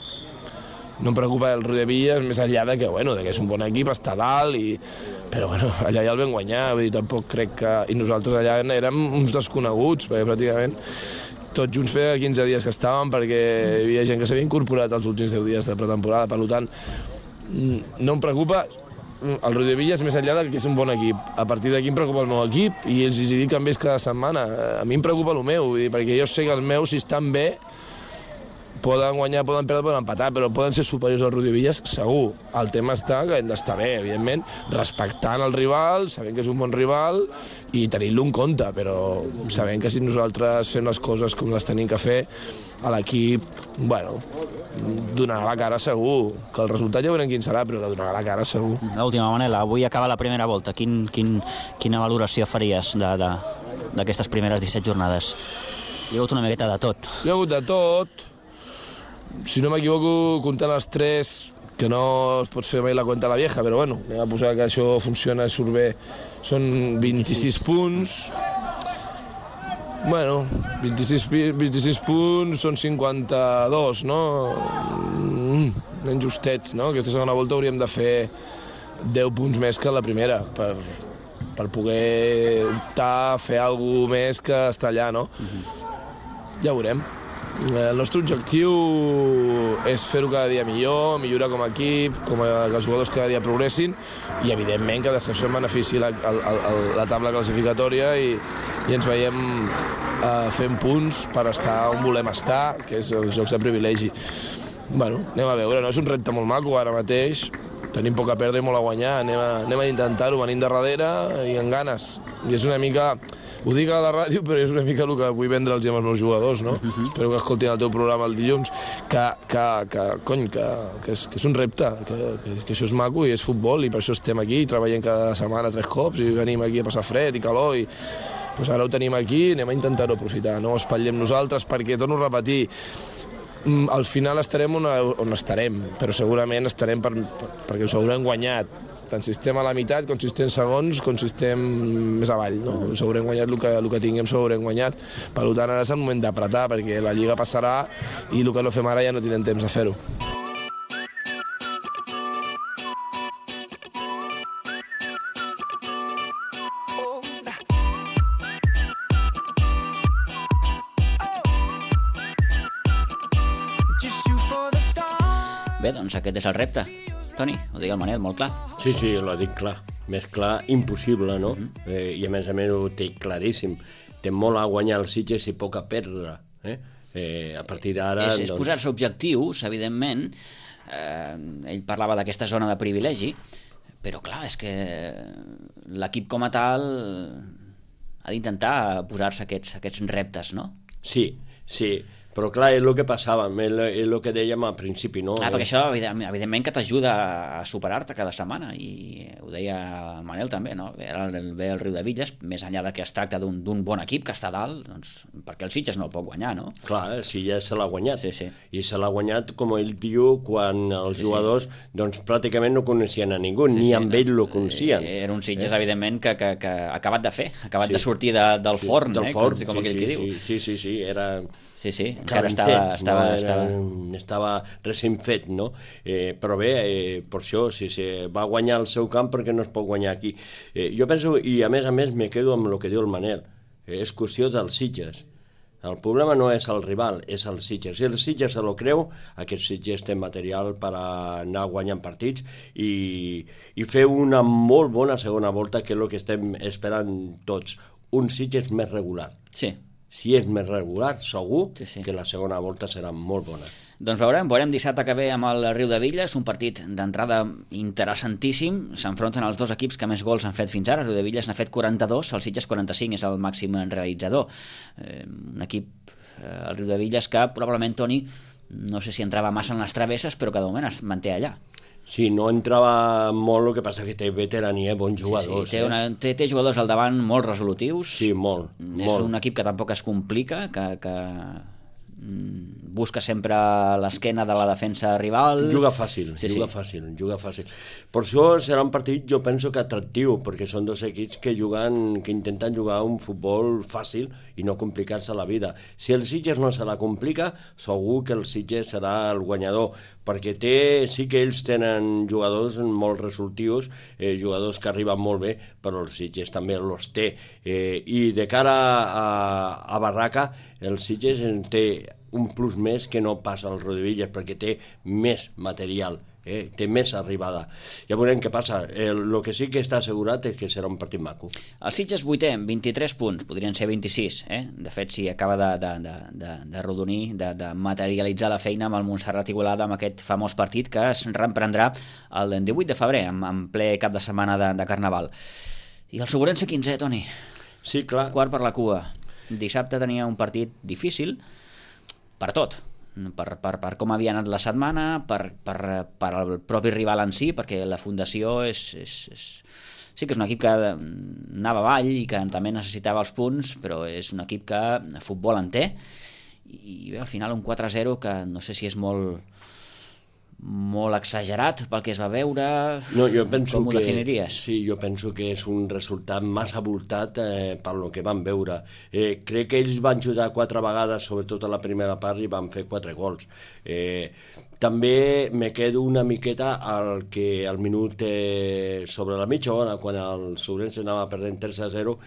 no em preocupa el Riudebitlles, més enllà de que és un bon equip, està dalt, però allà ja el vam guanyar, vull dir, tampoc crec que... I nosaltres allà érem uns desconeguts, perquè pràcticament tots junts feia 15 dies que estàvem, perquè hi havia gent que s'havia incorporat els últims 10 dies de pretemporada, per tant, no em preocupa el Riudebitlles més enllà que és un bon equip. A partir d'aquí em preocupa el meu equip i els dic que em veig cada setmana. A mi em preocupa el meu, vull dir, perquè jo sé que els meus, si estan bé, poden guanyar, poden perdre, poden empatar, però poden ser superiors al Riudebitlles, segur. El tema està que hem d'estar bé, evidentment, respectant el rival, sabent que és un bon rival i tenint-lo en compte, però sabent que si nosaltres fem les coses com les tenim que fer, a l'equip, donarà la cara segur. Que el resultat ja veurem quin serà, però que donarà la cara segur. L'última, Manel, avui acaba la primera volta. Quina valoració faries d'aquestes primeres 17 jornades? Hi ha hagut una miqueta de tot. Hi ha hagut de tot. Si no m'equivoco, comptant les 3, que no es pot fer mai la cuenta a la vieja, però bueno, anem a posar que això funciona i surt bé. Són 26 punts. Bueno, 26 punts són 52, no? Ben justets, no? Aquesta segona volta hauríem de fer 10 punts més que la primera per poder optar a fer alguna més que estar allà, no? Ja ho veurem. El nostre objectiu és fer-ho cada dia millor, millorar com a equip, que els jugadors cada dia progressin i, evidentment, que això en benefici la taula classificatòria i ens veiem fent punts per estar on volem estar, que és els jocs de privilegi. Bueno, anem a veure, no? És un repte molt maco ara mateix, tenim poc a perdre i molt a guanyar, anem a intentar-ho, venim de darrere i amb ganes. I és una mica, ho dic a la ràdio, però és una mica el que vull vendre'ls als meus jugadors, no? Espero que escoltin el teu programa el dilluns, que és un repte, que això és maco i és futbol i per això estem aquí, treballem cada setmana 3 cops i venim aquí a passar fred i calor i doncs ara ho tenim aquí, anem a intentar-ho aprofitar, no espatllem nosaltres perquè, torno a repetir, al final estarem on estarem, però segurament estarem perquè us haurem guanyat. Tant si estem a la meitat, com si estem segons, com si estem més avall. No? Us haurem guanyat el que tinguem, s'ho haurem guanyat. Per tant, ara és el moment d'apretar, perquè la Lliga passarà i el que no fem ara ja no tindrem temps de fer-ho. Bé, doncs aquest és el repte. Toni, ho dic el Manel, molt clar. Sí, l'ho dic clar. Més clar, impossible, no? I a més ho té claríssim. Té molt a guanyar els Sitges i poc a perdre. A partir d'ara... És posar-se objectius, evidentment. Ell parlava d'aquesta zona de privilegi, però clar, és que l'equip com a tal ha d'intentar posar-se aquests reptes, no? Sí. Però clar, és el que passava, és el que dèiem al principi, no? Perquè això, evidentment, que t'ajuda a superar-te cada setmana, i ho deia el Manel també, no? Ve el Riudevilles, més enllà que es tracta d'un bon equip que està dalt, doncs, perquè el Sitges no el pot guanyar, no? Clar, el Sitges se l'ha guanyat, i se l'ha guanyat, com ell diu, quan els jugadors doncs pràcticament no coneixien a ningú, ni amb ell lo coneixien. Era un Sitges, evidentment, que acabat de fer, acabat de sortir del forn, com aquell que diu. Sí, era... Sí, encara estava recent fet, no? Però bé, per això, si va guanyar el seu camp, perquè no es pot guanyar aquí. Jo penso, i a més me quedo amb el que diu el Manel, és qüestió dels Sitges. El problema no és el rival, és el Sitges. Si el Sitges se lo creu, aquest Sitges té material per anar guanyant partits i fer una molt bona segona volta, que és el que estem esperant tots. Un Sitges més regular. Sí. Si és més regular, segur que la segona volta serà molt bona. Doncs veurem dissabte que ve amb el Riudevilles, un partit d'entrada interessantíssim. S'enfronten els dos equips que més gols han fet fins ara. Riudevilles n'ha fet 42, el Sitges 45, és el màxim realitzador. Un equip, el Riudevilles, que probablement, Toni, no sé si entrava massa en les travesses, però que de moment es manté allà. Sí, no entrava molt, el que passa que té veterania, bons jugadors. Té jugadors al davant molt resolutius. Sí, molt. És un equip que tampoc es complica, que busca sempre l'esquena de la defensa rival. Juga fàcil. Per això serà un partit, jo penso que atractiu, perquè són dos equips que intenten jugar un futbol fàcil i no complicar-se la vida. Si el Sitges no se la complica, segur que el Sitges serà el guanyador, perquè sí que ells tenen jugadors molt resolutius, jugadors que arriben molt bé, però el Sitges també els té. I de cara a Barraca, el Sitges té un plus més que no passa al Riudevilles, perquè té més material, té més arribada. Ja veurem què passa. El que sí que està assegurat és que serà un partit maco. El Sitges 8è, 23 punts, podrien ser 26. De fet, si acaba de rodonir, de materialitzar la feina amb el Montserrat Igualada, amb aquest famós partit que es reprendrà el 18 de febrer, en ple cap de setmana de Carnaval. I el Sobrense 15è, Toni? Sí, clar. Quart per la cua. Dissabte tenia un partit difícil, per tot, per com havia anat la setmana, per el propi rival en si, perquè la fundació sí que és un equip que anava avall i que també necessitava els punts, però és un equip que futbol en té, i bé, al final un 4-0 que no sé si és molt exagerat pel que es va veure. No, jo penso com ho definiries? Sí, jo penso que és un resultat massa voltat pel que van veure. Crec que ells van jugar 4 vegades, sobretot a la primera part, i van fer 4 gols. També me quedo una miqueta al minut sobre la mitja hora, quan el Sobrense anava perdent 3-0,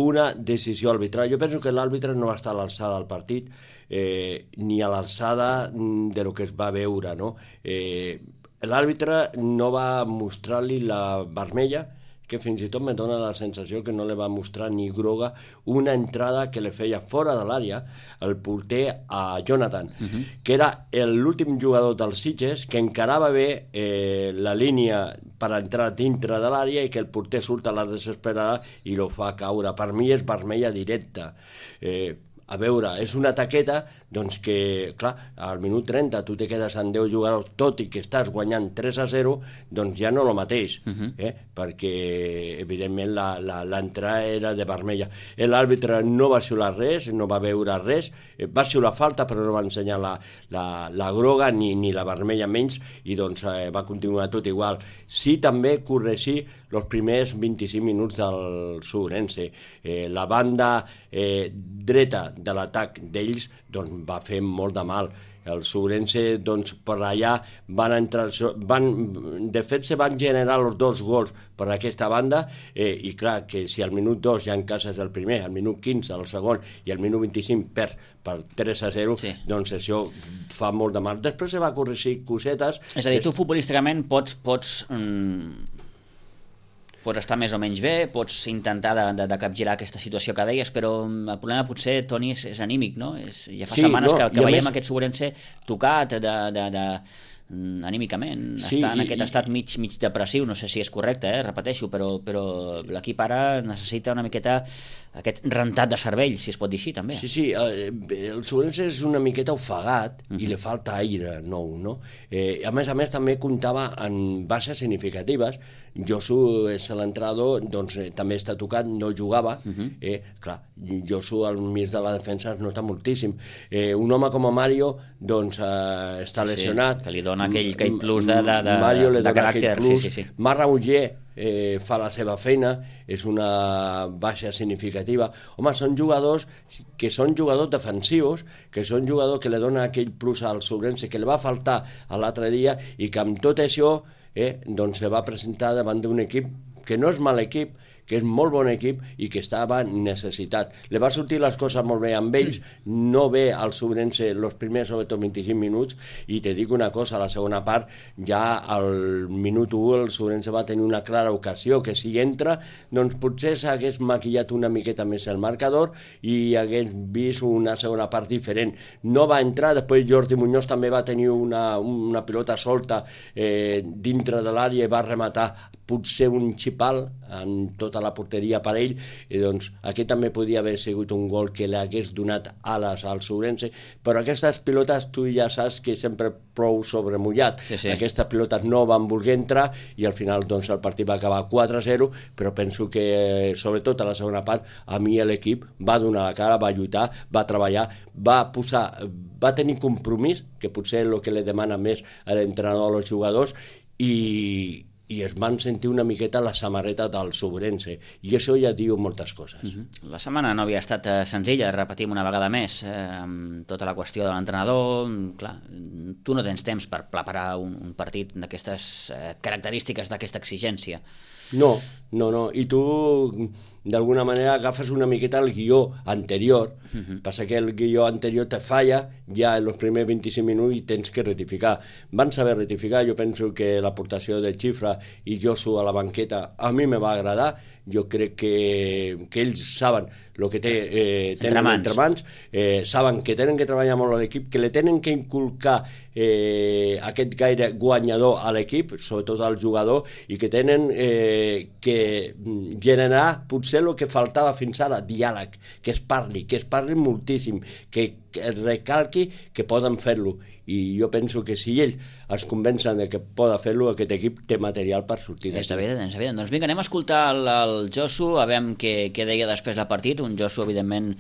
una decisió arbitral. Jo penso que l'àrbitre no va estar a l'alçada del partit, ni a l'alçada de lo que es va veure, no? L'àrbitre no va mostrar-li la vermella, que fins i tot me dona la sensació que no li va mostrar ni groga una entrada que li feia fora de l'àrea el porter a Jonathan, que era l'últim jugador dels Sitges que encarava bé la línia per entrar dintre de l'àrea i que el porter surt a la desesperada i lo fa caure. Per mi és vermella directa. A veure, és una taqueta doncs que, clar, al minut 30 tu te quedes amb 10 jugadors, tot i que estàs guanyant 3-0, doncs ja no el mateix, perquè evidentment l'entrada era de vermella. L'àrbitre no va xiular res, no va veure res, va xiular falta però no va ensenyar la groga ni la vermella menys, i doncs va continuar tot igual. Sí, també corregir els primers 25 minuts del Sobrense. La banda dreta de l'atac d'ells doncs, va fer molt de mal. El Sobrense, doncs, per allà van entrar... de fet, se van generar els 2 gols per aquesta banda, i clar, que si al minut 2 ja encases el primer, al minut 15 el segon i al minut 25 per 3-0, doncs això fa molt de mal. Després se va corregir cosetes... És a dir, tu futbolísticament pots estar més o menys bé, pots intentar de capgirar aquesta situació que deies, però el problema potser, Toni, és anímic, no? Ja fa setmanes que veiem aquest Sobrense tocat anímicament, està en aquest estat mig depressiu, no sé si és correcte, repeteixo, però l'equip ara necessita una miqueta aquest rentat de cervell, si es pot dir així, també. Sí, el Sobrense és una miqueta ofegat i li falta aire nou, no? A més, també comptava en baixes significatives. Josu és l'entrenador, doncs també està tocat, no jugava. Clar, Josu al mig de la defensa es nota moltíssim. Un home com a Mario, doncs, està lesionat. Que li dona aquell plus de caràcter. Marc Rauger fa la seva feina, és una baixa significativa. Home, són jugadors que són jugadors defensius, que són jugadors que li donen aquell plus al Sobrense que li va faltar l'altre dia, i que amb tot això doncs se va presentar davant d'un equip que no és mal equip, que és molt bon equip i que estava necessitat. Li va sortir les coses molt bé amb ells, no bé al Sobrense els primers, sobretot 25 minuts, i te dic una cosa, a la segona part, ja al minut 1 el Sobrense va tenir una clara ocasió, que si entra, doncs potser s'hagués maquillat una miqueta més el marcador i hagués vist una segona part diferent. No va entrar, després Jordi Muñoz també va tenir una pilota solta dintre de l'àrea i va rematar potser un xipal en tota la porteria per ell, i doncs aquí també podia haver sigut un gol que li hagués donat ales al Sobrense, però aquestes pilotes tu ja saps que sempre prou sobremullat. Aquestes pilotes no van voler entrar i al final doncs el partit va acabar 4-0, però penso que sobretot a la segona part a mi l'equip va donar la cara, va lluitar, va treballar, va tenir compromís, que potser és el que li demana més a l'entrenador als jugadors, i es van sentir una miqueta la samarreta del Sobrense, i això ja diu moltes coses. La setmana no havia estat senzilla, repetim una vegada més, amb tota la qüestió de l'entrenador. Clar, tu no tens temps per preparar un partit d'aquestes característiques, d'aquesta exigència. No, i tu d'alguna manera agafes una miqueta el guió anterior, passa que el guió anterior te falla ja en els primers 25 minuts i tens que rectificar. Van saber rectificar, jo penso que l'aportació de Xifra i Josu a la banqueta a mi me va agradar, jo crec que ells saben el que tenen entre mans, saben que tenen que treballar molt a l'equip, que li tenen que inculcar aquest gaire guanyador a l'equip, sobretot al jugador, i que tenen que generarà potser el que faltava fins ara, diàleg, que es parli moltíssim, que recalqui que poden fer-lo. I jo penso que si ells es convencen que poden fer-lo, aquest equip té material per sortir d'aquí. És evident. Doncs vinga, anem a escoltar el Josu, a veure què deia després del partit. Un Josu, evidentment,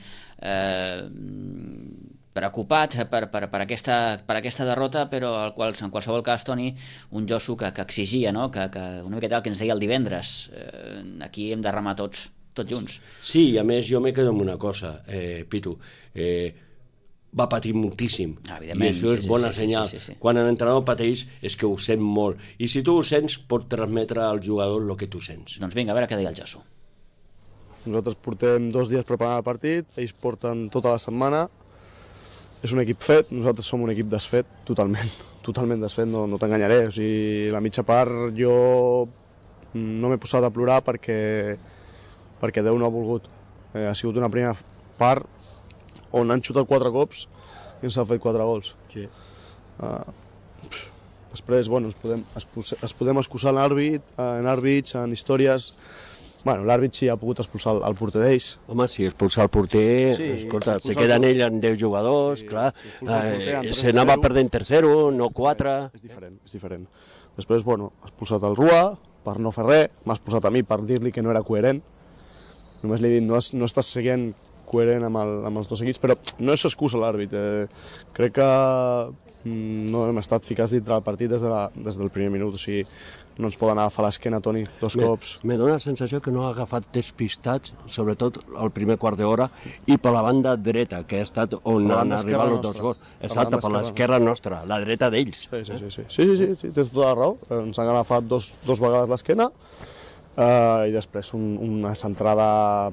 preocupat per aquesta derrota, però en qualsevol cas, Toni, un Josu que exigia, no? que una miqueta el que ens deia el divendres. Aquí hem de remar tots junts. Sí, i a més jo me quedo amb una cosa, Pitu. Va patir moltíssim, i això és bona senyal. Quan l'entrenador pateix és que ho sent molt, i si tu ho sents pot transmetre al jugador el que tu sents. Doncs vinga, a veure què deia el Josu. Nosaltres portem 2 dies preparant el partit, ells porten tota la setmana. És un equip fet, nosaltres som un equip desfet, totalment desfet, no t'enganyaré. O sigui, la mitja part jo no m'he posat a plorar perquè Déu no ha volgut. Ha sigut una primera part on han xutat 4 cops i ens han fet 4 gols. Sí. Després, bueno, ens podem excusar en àrbits, en històries. Bueno, l'àrbit sí ha pogut expulsar el porter d'ells. Home, si expulsar el porter, escolta, se queden ell amb 10 jugadors, clar, se n'anava perdent 3-0, no 4... És diferent. Després, bueno, has posat el Rua per no fer res, m'has posat a mi per dir-li que no era coherent. Només li he dit, no estàs seguint coherent amb els 2 equips, però no és excusa l'àrbit. Crec que no hem estat ficats dintre del partit des del primer minut, o sigui, no ens poden agafar l'esquena, Toni, 2 cops. Me dóna la sensació que no ha agafat despistats, sobretot el primer quart d'hora, i per la banda dreta, que ha estat on han arribat els 2 gols. Exacte, per l'esquerra nostra, la dreta d'ells. Sí, tens tota la raó. Ens han agafat dos vegades l'esquena, i després una centrada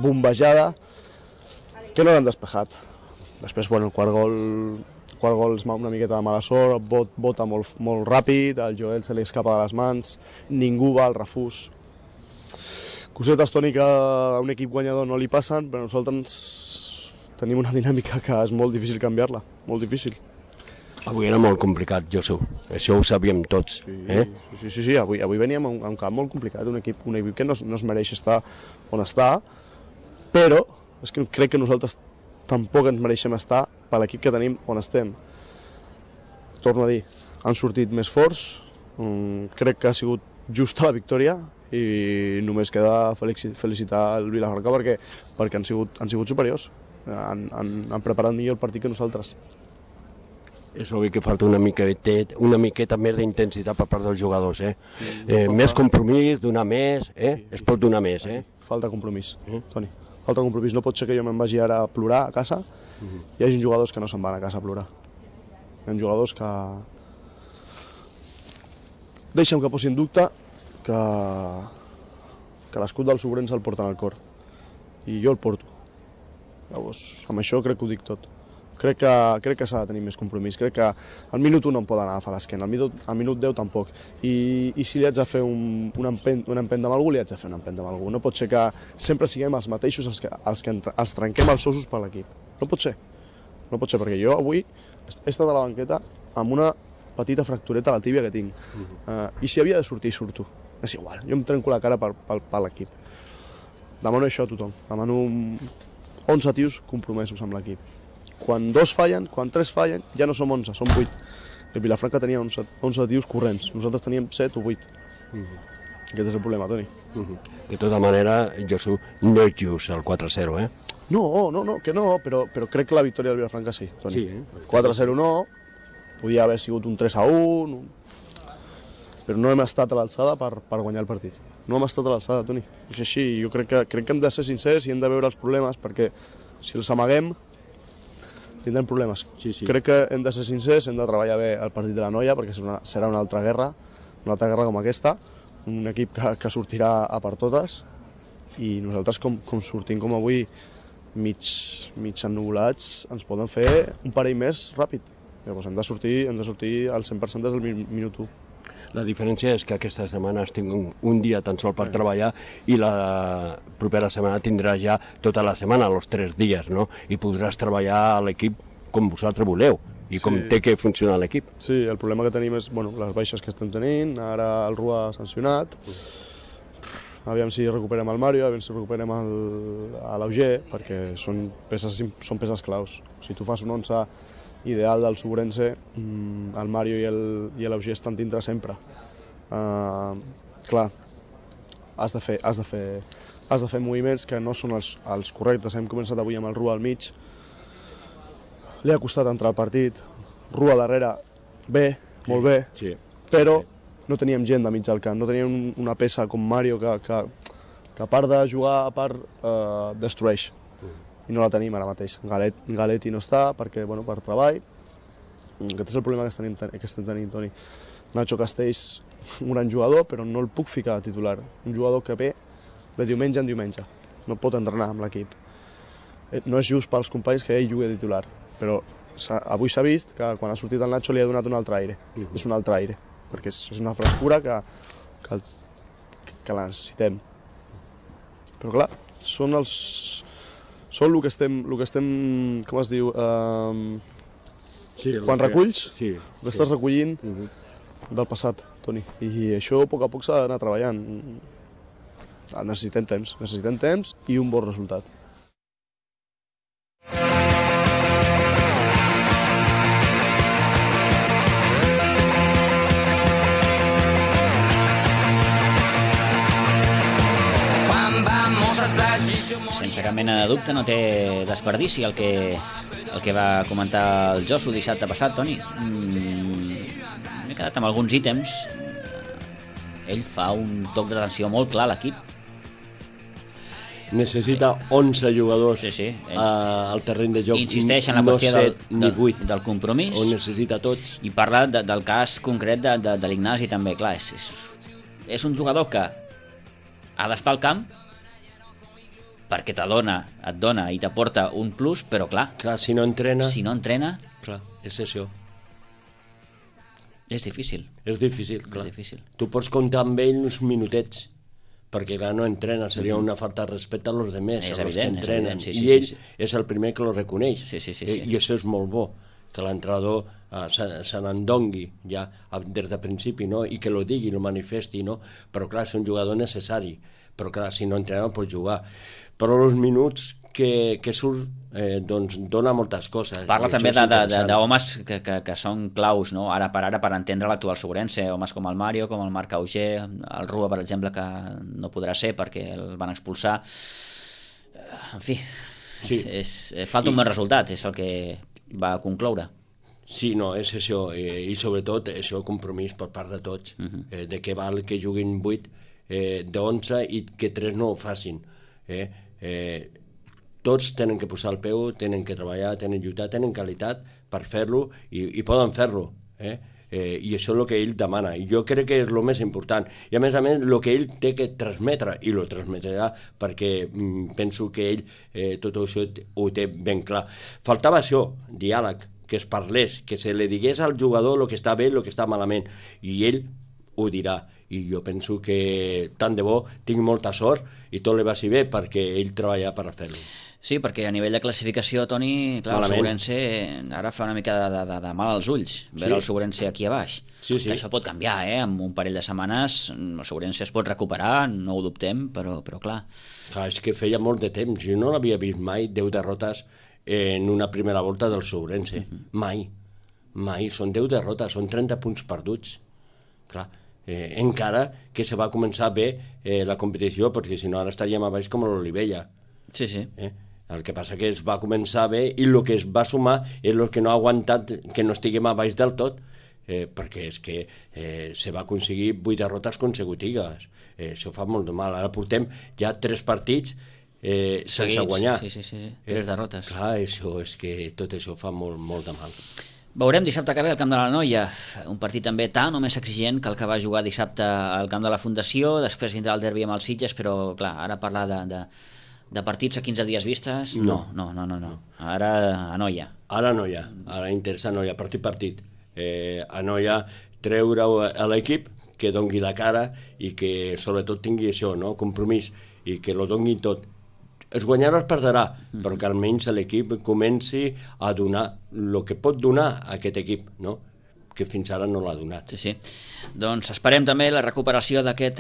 bombejada que no l'han despejat. Després, bueno, el quart gol és una miqueta de mala sort, bota molt ràpid, al Joel se li escapa de les mans, ningú va al refús. Cosetes, Toni, que a un equip guanyador no li passen, però nosaltres tenim una dinàmica que és molt difícil canviar-la, molt difícil. Avui era molt complicat, Josu, això ho sabíem tots. Sí, avui veníem a un camp molt complicat, un equip que no es mereix estar on està, però és que crec que nosaltres tampoc ens mereixem estar per l'equip que tenim on estem. Torno a dir, han sortit més forts, crec que ha sigut justa la victòria i només queda felicitar el Vilafranca perquè han sigut superiors, han preparat millor el partit que nosaltres. És obvi que falta una miqueta més d'intensitat per part dels jugadors, més compromís, donar més, es pot donar més. Falta compromís, Toni. Falta compromís. No pot ser que jo me'n vagi ara a plorar a casa i hi hagi jugadors que no se'n van a casa a plorar. Hi ha jugadors que deixen que posi en dubte que l'escut del Sobrenys el porten al cor. I jo el porto. Llavors, amb això crec que ho dic tot. Crec que s'ha de tenir més compromís. Crec que al minut 1 no em poden agafar l'esquena, al minut 10 tampoc. I si li haig de fer una empenta amb algú, li haig de fer una empenta amb algú. No pot ser que sempre siguem els mateixos els que els trenquem els ossos per l'equip. No pot ser. No pot ser, perquè jo avui he estat a la banqueta amb una petita fractureta a la tíbia que tinc. I si havia de sortir, surto. És igual, jo em trenco la cara per l'equip. Demano això a tothom. Demano 11 tios compromesos amb l'equip. Quan 2 fallen, quan 3 fallen, ja no som 11, som 8. El Vilafranca tenia 11 tios corrents, nosaltres teníem 7 o 8. Aquest és el problema, Toni. De tota manera, Josu, no és just el 4-0, No, que no, però crec que la victòria del Vilafranca sí, Toni. 4-0 no, podia haver sigut un 3-1, però no hem estat a l'alçada per guanyar el partit. No hem estat a l'alçada, Toni. És així, jo crec que hem de ser sincers i hem de veure els problemes, perquè si els amaguem tindrem problemes. Crec que hem de ser sincers, hem de treballar bé el partit de la Noia, perquè serà una altra guerra com aquesta, un equip que sortirà a per totes, i nosaltres com sortim com avui mig ennuvolats, ens poden fer un parell més ràpid. Llavors hem de sortir al 100% des del minut 1. La diferència és que aquesta setmana has tingut un dia tan sol per treballar i la propera setmana tindràs ja tota la setmana, els 3 dies, no? I podràs treballar a l'equip com vosaltres voleu. i com té que funcionar l'equip. Sí, el problema que tenim és les baixes que estem tenint, ara el Rua ha sancionat, aviam si recuperem el Mario, aviam si recuperem l'Auger, perquè són peces claus. Si tu fas un 11 ideal del Subrense, el Mario i l'Auger estan dintre sempre. Clar, has de fer moviments que no són els correctes. Hem començat avui amb el Rua al mig, li ha costat entrar al partit, Rua darrere, bé, molt bé, però no teníem gent de mig al camp, no teníem una peça com Mario que a part de jugar, a part destrueix. I no la tenim ara mateix. Galetti no està per treball. Aquest és el problema que estem tenint, Toni. Nacho Castells, un gran jugador, però no el puc ficar de titular. Un jugador que ve de diumenge en diumenge. No pot entrenar amb l'equip. No és just pels companys que ell jugui de titular, però avui s'ha vist que quan ha sortit el Nacho li ha donat un altre aire. És un altre aire, perquè és una frescura que la necessitem. Però clar, són el que estem, com es diu, quan reculls, el que estàs recollint del passat, Toni. I això a poc s'ha d'anar treballant. Necessitem temps i un bon resultat. Sense cap mena de dubte, no té desperdici el que va comentar el Josu dissabte passat, Toni. M'he quedat amb alguns ítems. Ell fa un toc d'atenció molt clar a l'equip. Necessita 11 jugadors al terreny de joc. Insisteix en la qüestió del compromís. Ho necessita tots. I parla del cas concret de l'Ignasi també. Clar, és un jugador que ha d'estar al camp perquè et dona i t'aporta un plus, però clar, si no entrena, clar, és això. És difícil. És difícil. Tu pots comptar amb ell uns minutets, perquè clar, no entrena, seria una falta de respecte a los demés, és a los que entrenen. I ell és el primer que lo reconeix. I això és molt bo, que l'entrenador se n'endongui ja des de principi, no? I que lo digui, lo manifesti, no? Però clar, és un jugador necessari, però clar, si no entrena no pot jugar. Però els minuts que surt doncs dona moltes coses. Parla també d'homes que són claus, no? Ara per entendre l'actual Subrense, homes com el Mario, com el Marc Auger, el Rua, per exemple, que no podrà ser perquè el van expulsar. En fi, falta un bon resultat, és el que va concloure. Sí, no, és això, i sobretot això, compromís per part de tots, de què val que juguin 8 d'11 i que 3 no ho facin. Tots tenen que posar el peu, tenen que treballar, tenen lluitar, tenen qualitat per fer-lo i poden fer-lo. I això és el que ell demana. I jo crec que és el més important. I a més, el que ell té que transmetre, i lo transmetrà perquè penso que ell tot això ho té ben clar. Faltava això, diàleg, que es parlés, que se li digués al jugador el que està bé i el que està malament. I ell ho dirà. I jo penso que tant de bo tinc molta sort i tot li vagi bé perquè ell treballa per fer-lo. Sí, perquè a nivell de classificació, Toni, clar, el Subrense ara fa una mica de mal als ulls veure el Subrense aquí a baix. Que això pot canviar, en un parell de setmanes el Subrense es pot recuperar, no ho dubtem, però clar. És que feia molt de temps, jo no l'havia vist mai 10 derrotes en una primera volta del Subrense, mai, són 10 derrotes, són 30 punts perduts, clar. Encara que se va començar bé la competició, perquè si no ara estaríem a baix com l'Olivella. El que passa que es va començar bé i el que es va sumar és el que no ha aguantat que no estiguem a baix del tot, perquè és que se va aconseguir 8 derrotes consecutives. Això fa molt de mal. Ara portem ja 3 partits sense guanyar. 3 derrotes. Clar, això és que tot això fa molt de mal. Veurem dissabte que ve al Camp de la Noia, un partit també tan o més exigent que el que va jugar dissabte al Camp de la Fundació, després vindrà el derbi amb els Sitges, però clar, ara parlar de partits a 15 dies vistes, no. Ara a Noia. Ara a Noia, ara interessa a Noia, partit. A Noia treure a l'equip que dongui la cara i que sobretot tingui això, no? Compromís, i que lo dongui tot. es guanyarà o es perdrà, però que almenys l'equip comenci a donar el que pot donar a aquest equip, no? Que fins ara no l'ha donat. Sí. Doncs esperem també la recuperació d'aquest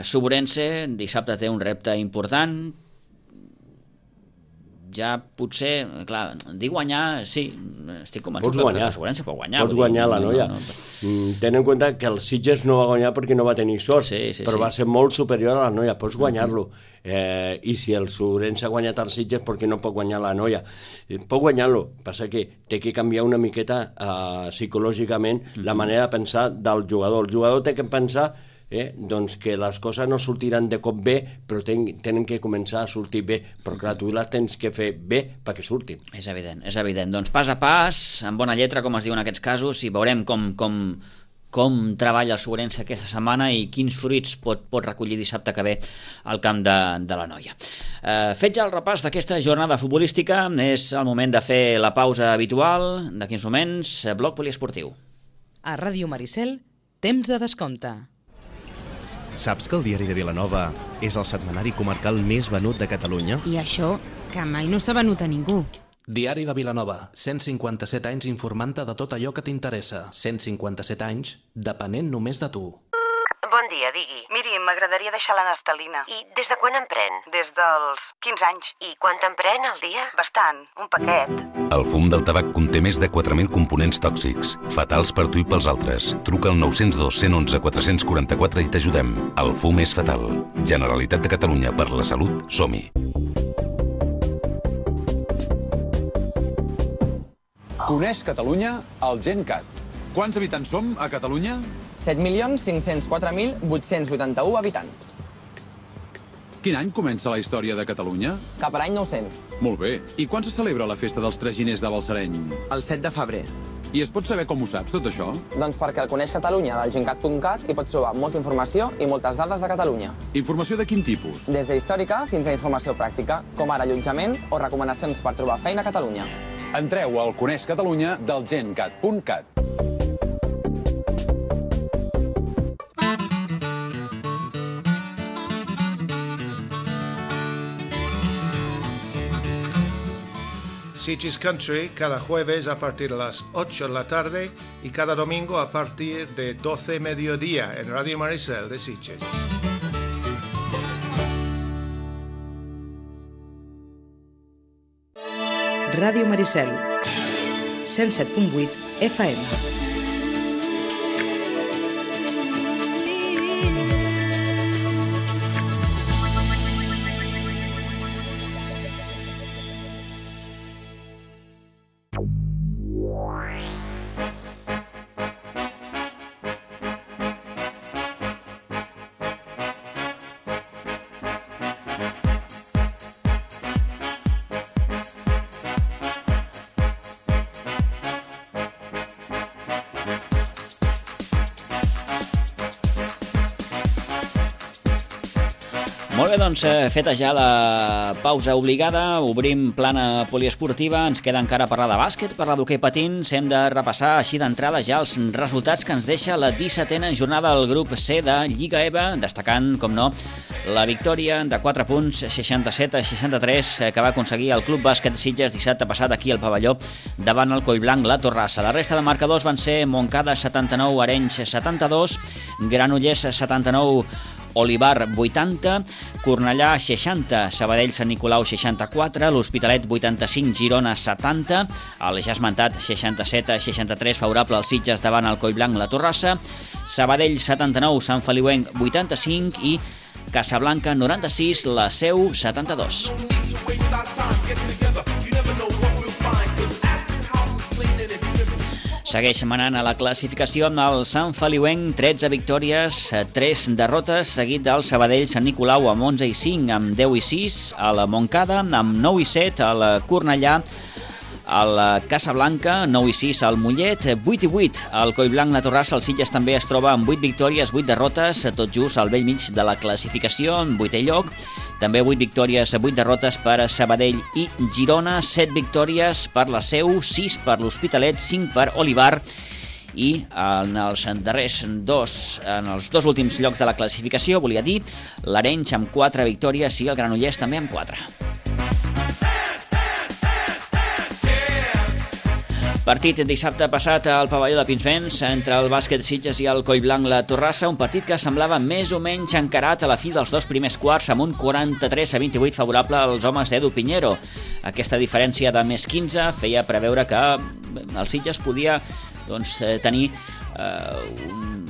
Suburense. Dissabte té un repte important. Ja potser, clar, dir guanyar, sí, estic convençut que la Suburense pot guanyar. Pots guanyar la Noia. Ten en compte que el Sitges no va guanyar perquè no va tenir sort, però va ser molt superior a la Noia, pots guanyar-lo. I si el Suburense ha guanyat el Sitges, per què no pot guanyar la Noia? Pot guanyar-lo, passa que té que canviar una miqueta psicològicament la manera de pensar del jugador. El jugador té que pensar doncs que les coses no sortiran de cop bé, però tenen que començar a sortir bé, però clar, tu les tens que fer bé perquè surtin. És evident. Doncs pas a pas, amb bona lletra, com es diu en aquests casos, i veurem com treballa el Suburense aquesta setmana i quins fruits pot recollir dissabte que ve al camp de la Noia. Fet ja el repàs d'aquesta jornada futbolística, és el moment de fer la pausa habitual. D'aquí uns moments, bloc poliesportiu. A Ràdio Maricel, temps de descompte. Saps que el Diari de Vilanova és el setmanari comarcal més venut de Catalunya? I això, que mai no s'ha venut a ningú. Diari de Vilanova, 157 anys informant-te de tot allò que t'interessa. 157 anys depenent només de tu. Bon dia, digui. Miri, m'agradaria deixar la naftalina. I des de quan en pren? Des dels 15 anys. I quant en pren al dia? Bastant, un paquet. El fum del tabac conté més de 4.000 components tòxics, fatals per tu i pels altres. Truca al 902 111 444 i t'ajudem. El fum és fatal. Generalitat de Catalunya, per la salut, som-hi. Coneix Catalunya el GenCat. Quants habitants som a Catalunya? 7.504.881 habitants. Quin any comença la història de Catalunya? Cap a l'any 900. Molt bé. I quan se celebra la festa dels Traginers de Balsareny? El 7 de febrer. I es pot saber com ho saps, tot això? Doncs perquè el Coneix Catalunya del gencat.cat hi pots trobar molta informació i moltes dades de Catalunya. Informació de quin tipus? Des d'històrica fins a informació pràctica, com ara allotjament o recomanacions per trobar feina a Catalunya. Entreu al Coneix Catalunya del gencat.cat. Sitges Country cada jueves a partir de las 8 de la tarde y cada domingo a partir de 12 mediodía en Radio Maricel de Sitges. Ràdio Maricel, 107.8 FM. Molt bé, doncs, feta ja la pausa obligada, obrim plana poliesportiva, ens queda encara parlar de bàsquet, parlar d'hoquei patins, hem de repassar així d'entrada ja els resultats que ens deixa la 17a jornada del grup C de Lliga EVA, destacant, com no, la victòria de 4 punts, 67-63, que va aconseguir el Club Bàsquet Sitges dissabte passat aquí al pavelló davant el Collblanc La Torrassa. La resta de marcadors van ser Montcada 79, Arenys 72, Granollers 79, Olivar 80, Cornellà 60, Sabadell Sant Nicolau 64, l'Hospitalet 85, Girona 70, el ja esmentat 67-63 favorable als Sitges davant el Collblanc La Torrassa, Sabadell 79, Sant Feliuenc 85 i Casablanca 96, la Seu 72. Segueix manant a la classificació amb el Sant Feliuenc, 13 victòries, 3 derrotes, seguit del Sabadell Sant Nicolau amb 11 i 5, amb 10 i 6, a la Montcada amb 9 i 7, a la Cornellà, al Casablanca, 9 i 6 al Mollet, 8 i 8 al Collblanc La Torrassa. El Sitges també es troba amb 8 victòries, 8 derrotes, tot just al bell mig de la classificació, en 8è lloc. També 8 victòries, 8 derrotes per Sabadell i Girona, 7 victòries per la Seu, 6 per l'Hospitalet, 5 per Olivar i en els darrers en els dos últims llocs de la classificació, volia dir, l'Arenys amb 4 victòries i el Granollers també amb 4. Partit dissabte passat al pavelló de Pinsbens entre el bàsquet Sitges i el Collblanc La Torrassa, un partit que semblava més o menys encarat a la fi dels 2 primers quarts amb un 43-28 favorable als homes d'Edu Piñero. Aquesta diferència de més 15 feia preveure que el Sitges podia tenir un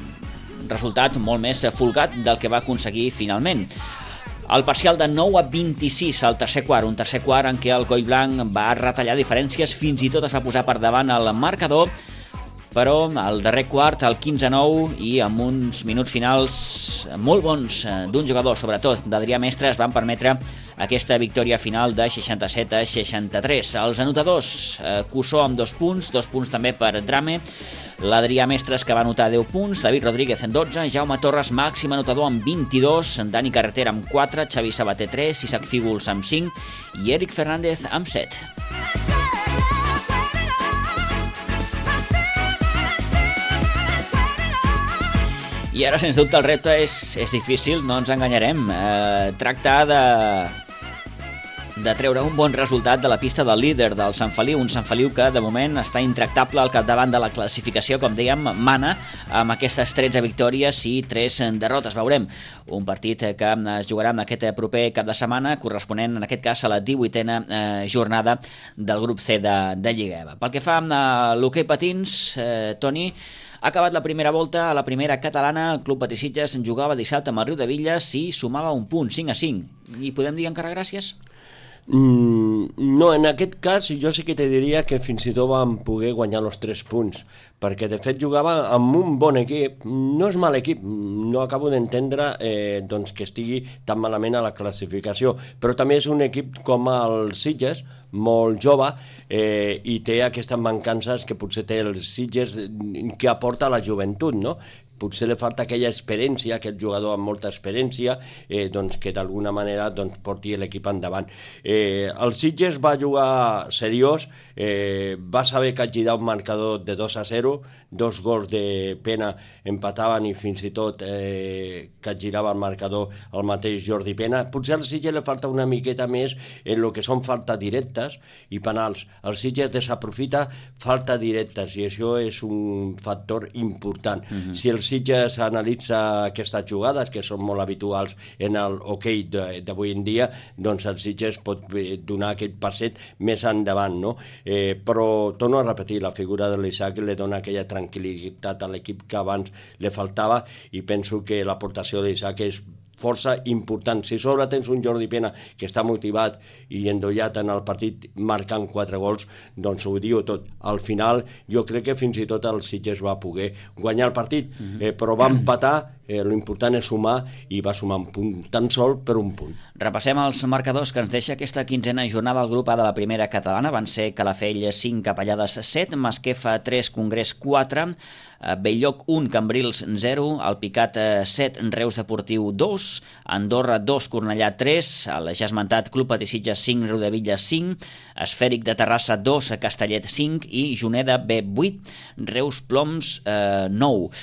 resultat molt més folgat del que va aconseguir finalment. El parcial de 9-26 al tercer quart, un tercer quart en què el Collblanc va retallar diferències, fins i tot es va posar per davant el marcador, però al darrer quart, al 15-9, i amb uns minuts finals molt bons d'un jugador, sobretot d'Adrià Mestres, van permetre aquesta victòria final de 67-63. Els anotadors, Cussó amb 2 punts també per Drame, l'Adrià Mestres, que va anotar 10 punts, David Rodríguez en 12, Jaume Torres, màxim anotador amb 22, Dani Carretera amb 4, Xavi Sabater 3, Isaac Fígols amb 5 i Eric Fernández amb 7. I ara, sens dubte, el repte és difícil, no ens enganyarem. Tractar de treure un bon resultat de la pista del líder del Sant Feliu, un Sant Feliu que de moment està intractable al capdavant de la classificació, com dèiem, mana amb aquestes 13 victòries i 3 derrotes. Veurem un partit que es jugarà en aquest proper cap de setmana, corresponent en aquest cas a la 18a jornada del grup C de Lliga EVA. Pel que fa a l'hoquei patins, Toni, ha acabat la primera volta a la primera catalana. El Club Patí Sitges jugava dissabte amb el Riudebitlles i sumava un punt, 5-5. I podem dir encara gràcies? No, en aquest cas jo sí que te diria que fins i tot vam poder guanyar els 3 punts, perquè de fet jugava amb un bon equip, no és mal equip, no acabo d'entendre que estigui tan malament a la classificació, però també és un equip com el Sitges, molt jove, i té aquestes mancances que potser té el Sitges que aporta la joventut, no? Potser li falta aquella experiència, aquest jugador amb molta experiència, que d'alguna manera porti l'equip endavant. El Sitges va jugar seriós, va saber capgirar un marcador de 2-0, 2 gols de Pena empataven i fins i tot capgirava el marcador el mateix Jordi Pena. Potser al Sitges li falta una miqueta més en el que són faltes directes i penals. El Sitges desaprofita faltes directes i això és un factor important. Si el Sitges analitza aquestes jugades, que són molt habituals en el hoquei d'avui en dia, doncs el Sitges pot donar aquest passet més endavant, no? Però torno a repetir, la figura de l'Isaac li dona aquella tranquil·litat a l'equip que abans li faltava i penso que l'aportació de l'Isaac és força important. Si sobre tens un Jordi Pena que està motivat i endollat en el partit marcant 4 gols, doncs ho diu tot. Al final jo crec que fins i tot el Sitges va poder guanyar el partit, però va empatar, l'important és sumar i va sumar un punt, tan sol per un punt. Repassem els marcadors que ens deixa aquesta 15a jornada al grup A de la primera catalana. Van ser Calafell 5, Capellades 7, Masquefa 3, Congrés 4, Belllloc 1, Cambrils 0, Alpicat 7, Reus Deportiu 2, Andorra 2, Cornellà 3, el ja esmentat Club Patí Sitges 5, Riudebitlles 5, Esfèric de Terrassa 2, Castellet 5 i Juneda B 8, Reus Ploms 9.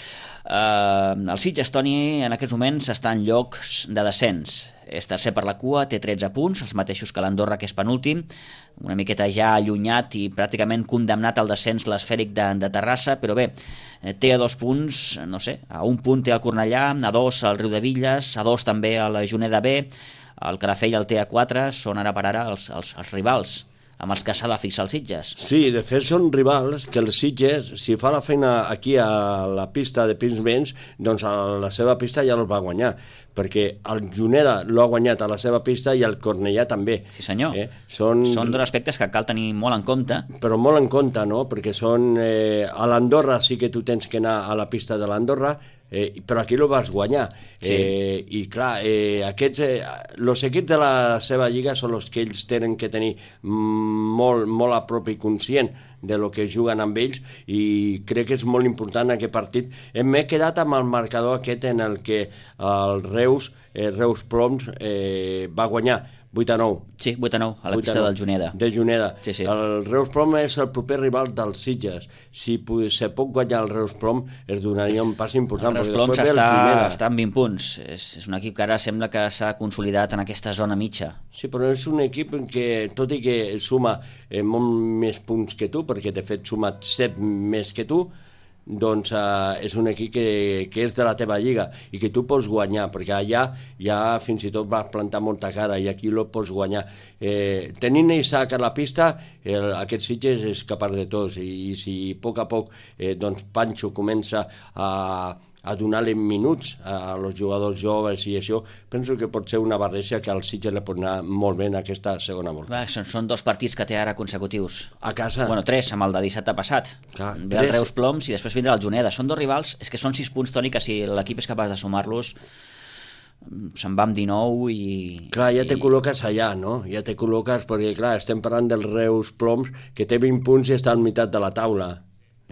El Sitges, Toni, en aquests moments està en llocs de descens. És tercer per la cua, té 13 punts, els mateixos que l'Andorra, que és penúltim, una miqueta ja allunyat i pràcticament condemnat al descens l'Esfèric de Terrassa, però bé, té a 2 punts, no sé, a 1 punt té el Cornellà, a 2 el Riudebitlles, a 2 també el Juneda B, el Calafell el té a 4, són ara per ara els rivals amb els que s'ha de fixar els Sitges. Sí, de fet són rivals que els Sitges, si fa la feina aquí a la pista de Pinsbens, doncs a la seva pista ja els va guanyar, perquè el Juneda l'ha guanyat a la seva pista i el Cornellà també. Sí senyor, són dos aspectes que cal tenir molt en compte. Però molt en compte, no? Perquè són... a l'Andorra sí que tu tens que anar a la pista de l'Andorra, però aquí lo vas guanyar. Sí. I clar, els equips de la seva lliga són els que ells tenen que tenir molt a prop i conscient de lo que juguen amb ells, i crec que és molt important aquest partit. M'he quedat amb el marcador aquest en el que el Reus Ploms va guanyar 8-9. Sí, 8-9, a la pista del Juneda. De Juneda. Sí. El Reus Prom és el proper rival dels Sitges. Si se pot guanyar el Reus Prom, es donaria un pas important. El Reus Prom està amb 20 punts. És un equip que ara sembla que s'ha consolidat en aquesta zona mitja. Sí, però és un equip que, tot i que suma molt més punts que tu, perquè de fet suma 7 més que tu, doncs és un equip que és de la teva lliga i que tu pots guanyar, perquè allà ja fins i tot vas plantar molta cara i aquí lo pots guanyar. Tenint Isaac a la pista, aquest Sitges és capaç de tots i si a poc doncs Pancho comença a donar-li minuts a los jugadors joves i això, penso que pot ser una barreja que al Sitges li pot anar molt bé en aquesta segona volta. Són 2 partits que té ara consecutius. A casa? Bueno, 3, amb el de dissabte passat. Ve el Reus Ploms i després vindrà el Juneda. Són 2 rivals, és que són 6 punts, Toni, que si l'equip és capaç de sumar-los se'n va amb 19 i... Clar, ja te col·loques allà, no? Ja te col·loques, perquè clar, estem parlant del Reus Ploms, que té 20 punts i està al meitat de la taula.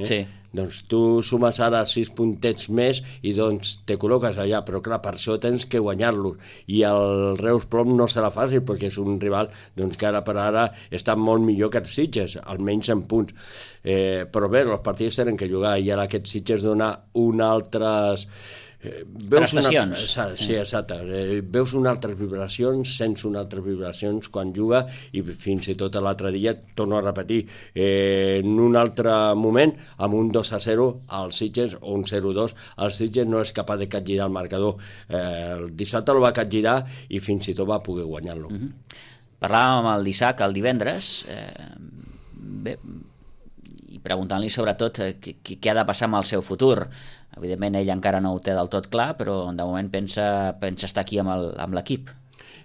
Sí. Doncs tu sumes ara 6 puntets més i doncs te col·loques allà, però clar, per això tens que guanyar-los. I el Reus Plom no serà fàcil, perquè és un rival doncs, que ara per ara està molt millor que els Sitges, almenys en punts. Però bé, els partits tenen que jugar i ara aquests Sitges donar un altres... prestacions. Sí, exacte. Veus unes altres vibracions, sents unes altres vibracions quan juga i fins i tot l'altre dia, torno a repetir, en un altre moment, amb un 2-0 als Sitges o un 0-2, el Sitges no és capaç de capgirar el marcador. El dissabte el va capgirar i fins i tot va poder guanyar-lo. Parlàvem amb el d'Isaac el divendres, bé, i preguntant-li sobretot què ha de passar amb el seu futur. Evidentment ell encara no ho té del tot clar, però de moment pensa estar aquí amb l'equip.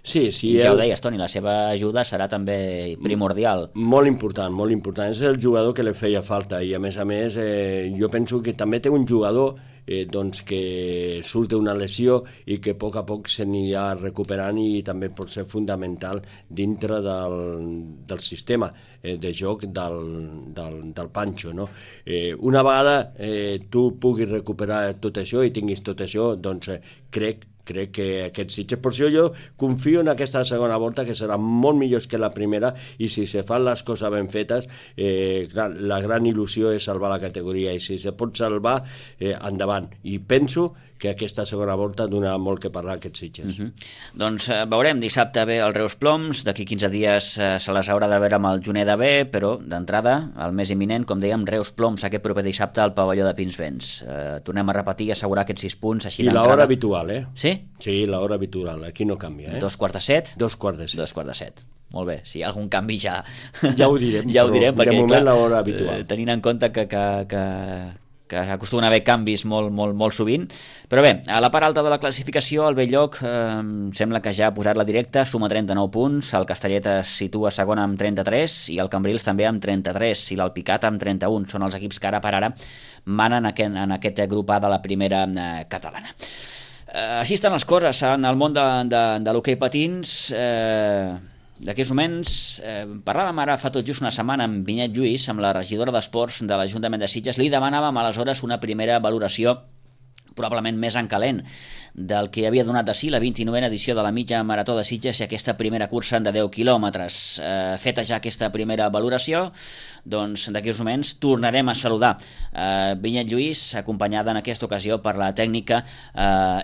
Sí, I ja ho deies, Toni, la seva ajuda serà també primordial. Molt important, molt important. És el jugador que li feia falta i a més, jo penso que també té un jugador doncs que surt d'una lesió i que a poc s'anirà recuperant i també pot ser fundamental dintre del sistema de joc del Pancho, no? Una vegada tu puguis recuperar tot això i tinguis tot això, doncs crec que aquests Sitges, per això jo confio en aquesta segona volta que serà molt millor que la primera i si se fan les coses ben fetes la gran il·lusió és salvar la categoria i si se pot salvar, endavant. I penso que aquesta segona volta donarà molt que parlar a aquests Sitges. Doncs veurem, dissabte ve el Reus Ploms, d'aquí 15 dies se les haurà de veure amb el Juneda B, però d'entrada, el més imminent, com dèiem, Reus Ploms aquest proper dissabte al pavelló de Pinsbens. Tornem a repetir i assegurar aquests 6 punts així d'entrada. I l'hora habitual, Sí? Sí, l'hora habitual, aquí no canvia. 2:45? 2:45. Molt bé, si hi ha algun canvi ja ho direm, ja ho direm perquè, de moment clar, l'hora habitual. Tenint en compte que acostumen a haver canvis molt sovint. Però bé, a la part alta de la classificació, el Bell-lloc sembla que ja ha posat la directa, suma 39 punts, el Castellet es situa segon amb 33 i el Cambrils també amb 33 i l'Alpicat amb 31. Són els equips que ara per ara manen en aquest grup A de la primera catalana. Així estan les coses en el món de l'hoquei patins. D'aquests moments, parlàvem ara fa tot just una setmana amb Vinyet Lluís, amb la regidora d'Esports de l'Ajuntament de Sitges, li demanàvem aleshores una primera valoració probablement més en calent del que havia donat de si la 29a edició de la mitja marató de Sitges i aquesta primera cursa de 10 quilòmetres. Feta ja aquesta primera valoració, doncs d'aquests moments tornarem a saludar Vinyet Lluís, acompanyada en aquesta ocasió per la tècnica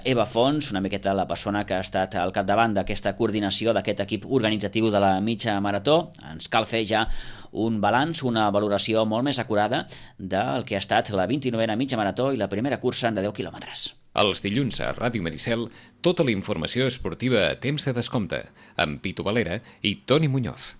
Eva Fons, una miqueta la persona que ha estat al capdavant d'aquesta coordinació d'aquest equip organitzatiu de la mitja marató. Ens cal fer ja un balanç, una valoració molt més acurada del que ha estat la 29a mitja marató i la primera cursa de 10 quilòmetres. Els dilluns a Ràdio Maricel, tota la informació esportiva a temps de descompte, amb Pitu Valera i Toni Muñoz.